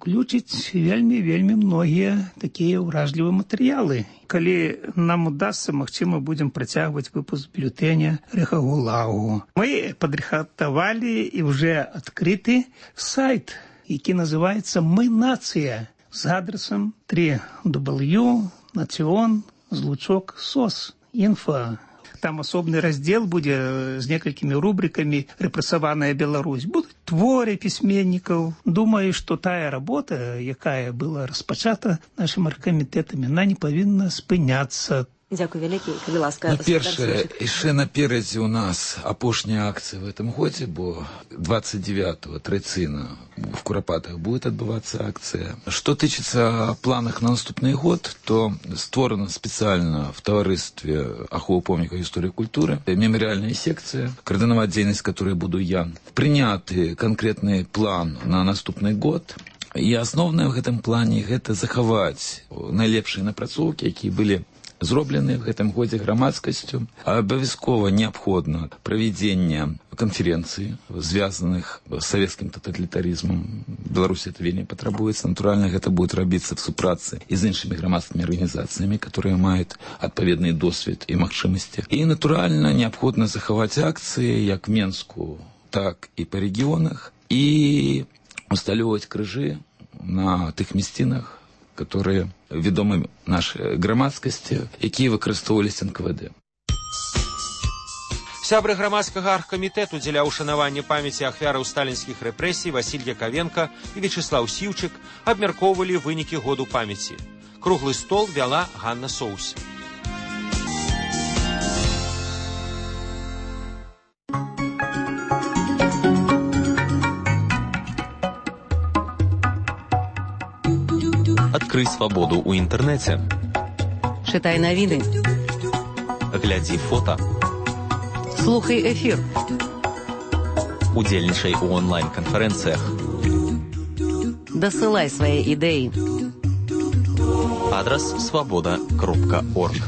ўключыць вельмі многія такія ўражлівыя матэрыялы. Калі нам удасся, магчыма, будзем працягваць выпуск бюлетэня Рэхагулагу. Мы падрыхтавалі і ўжо адкрыты сайт, які называецца «Мы нацыя» з адресам www.nation.sos.info. Там асобны раздзел будзе з некалькімі рубрикамі «Рэпрэсаваная Беларусь». Будуць творы пісьменнікаў. Думаю, што тая работа, якая была распачата нашым аргкамітэтам, яна не павінна спыняцца. Дзякуй вялікі, калі ласка. Першае, яшчэ наперадзе у нас апошняя акцыя в этом годзе, бо 29-го традыцыйна в Курапатах будет адбывацца акцыя. Што тычыцца планах на наступны год, то створана спецыяльна в таварыстве аховы помнікаў гісторыі культуры мемарыяльная секцыя, каардынаваць дзейнасць, которой буду я. Прыняты канкрэтны план на наступны год. І асноўнае ў гэтым плане гэта захаваць найлепшыя напрацоўкі, якія былі зроблены в гэтым годзе грамадскасцю. Абавязкова неабходна правядзенне канферэнцый, звязаных з савецкім таталітарызмам. Беларусі это вельмі патрабуецца. Натуральна, гэта будет рабіцца в супрацы і з іншымі грамадскімі арганізацыямі, которые маюць адпаведны досвед і магчымасці. І, натуральна, неабходна захаваць акцыі як в Менску, так і па рэгіёнах, і усталёўваць крыжы на тых мясцінах, которые ведомы нашай грамадскасці, якія выкарыстоўваліся НКВД. Сябры грамадскага аргкамітэту дзеля ўшанавання памяці ахвяраў сталінскіх рэпрэсій Василь Яковенко і Вячеслав Сіўчык абмяркоўвалі вынікі году памяці. Круглы стол вяла Ганна Соус. Адкрый свабоду ў інтэрнэце. Чытай навіны. Глядзі фота. Слухай эфір. Удзельнічай у онлайн-канферэнцыях. Дасылай свае ідэі. Адрас свабода.орг.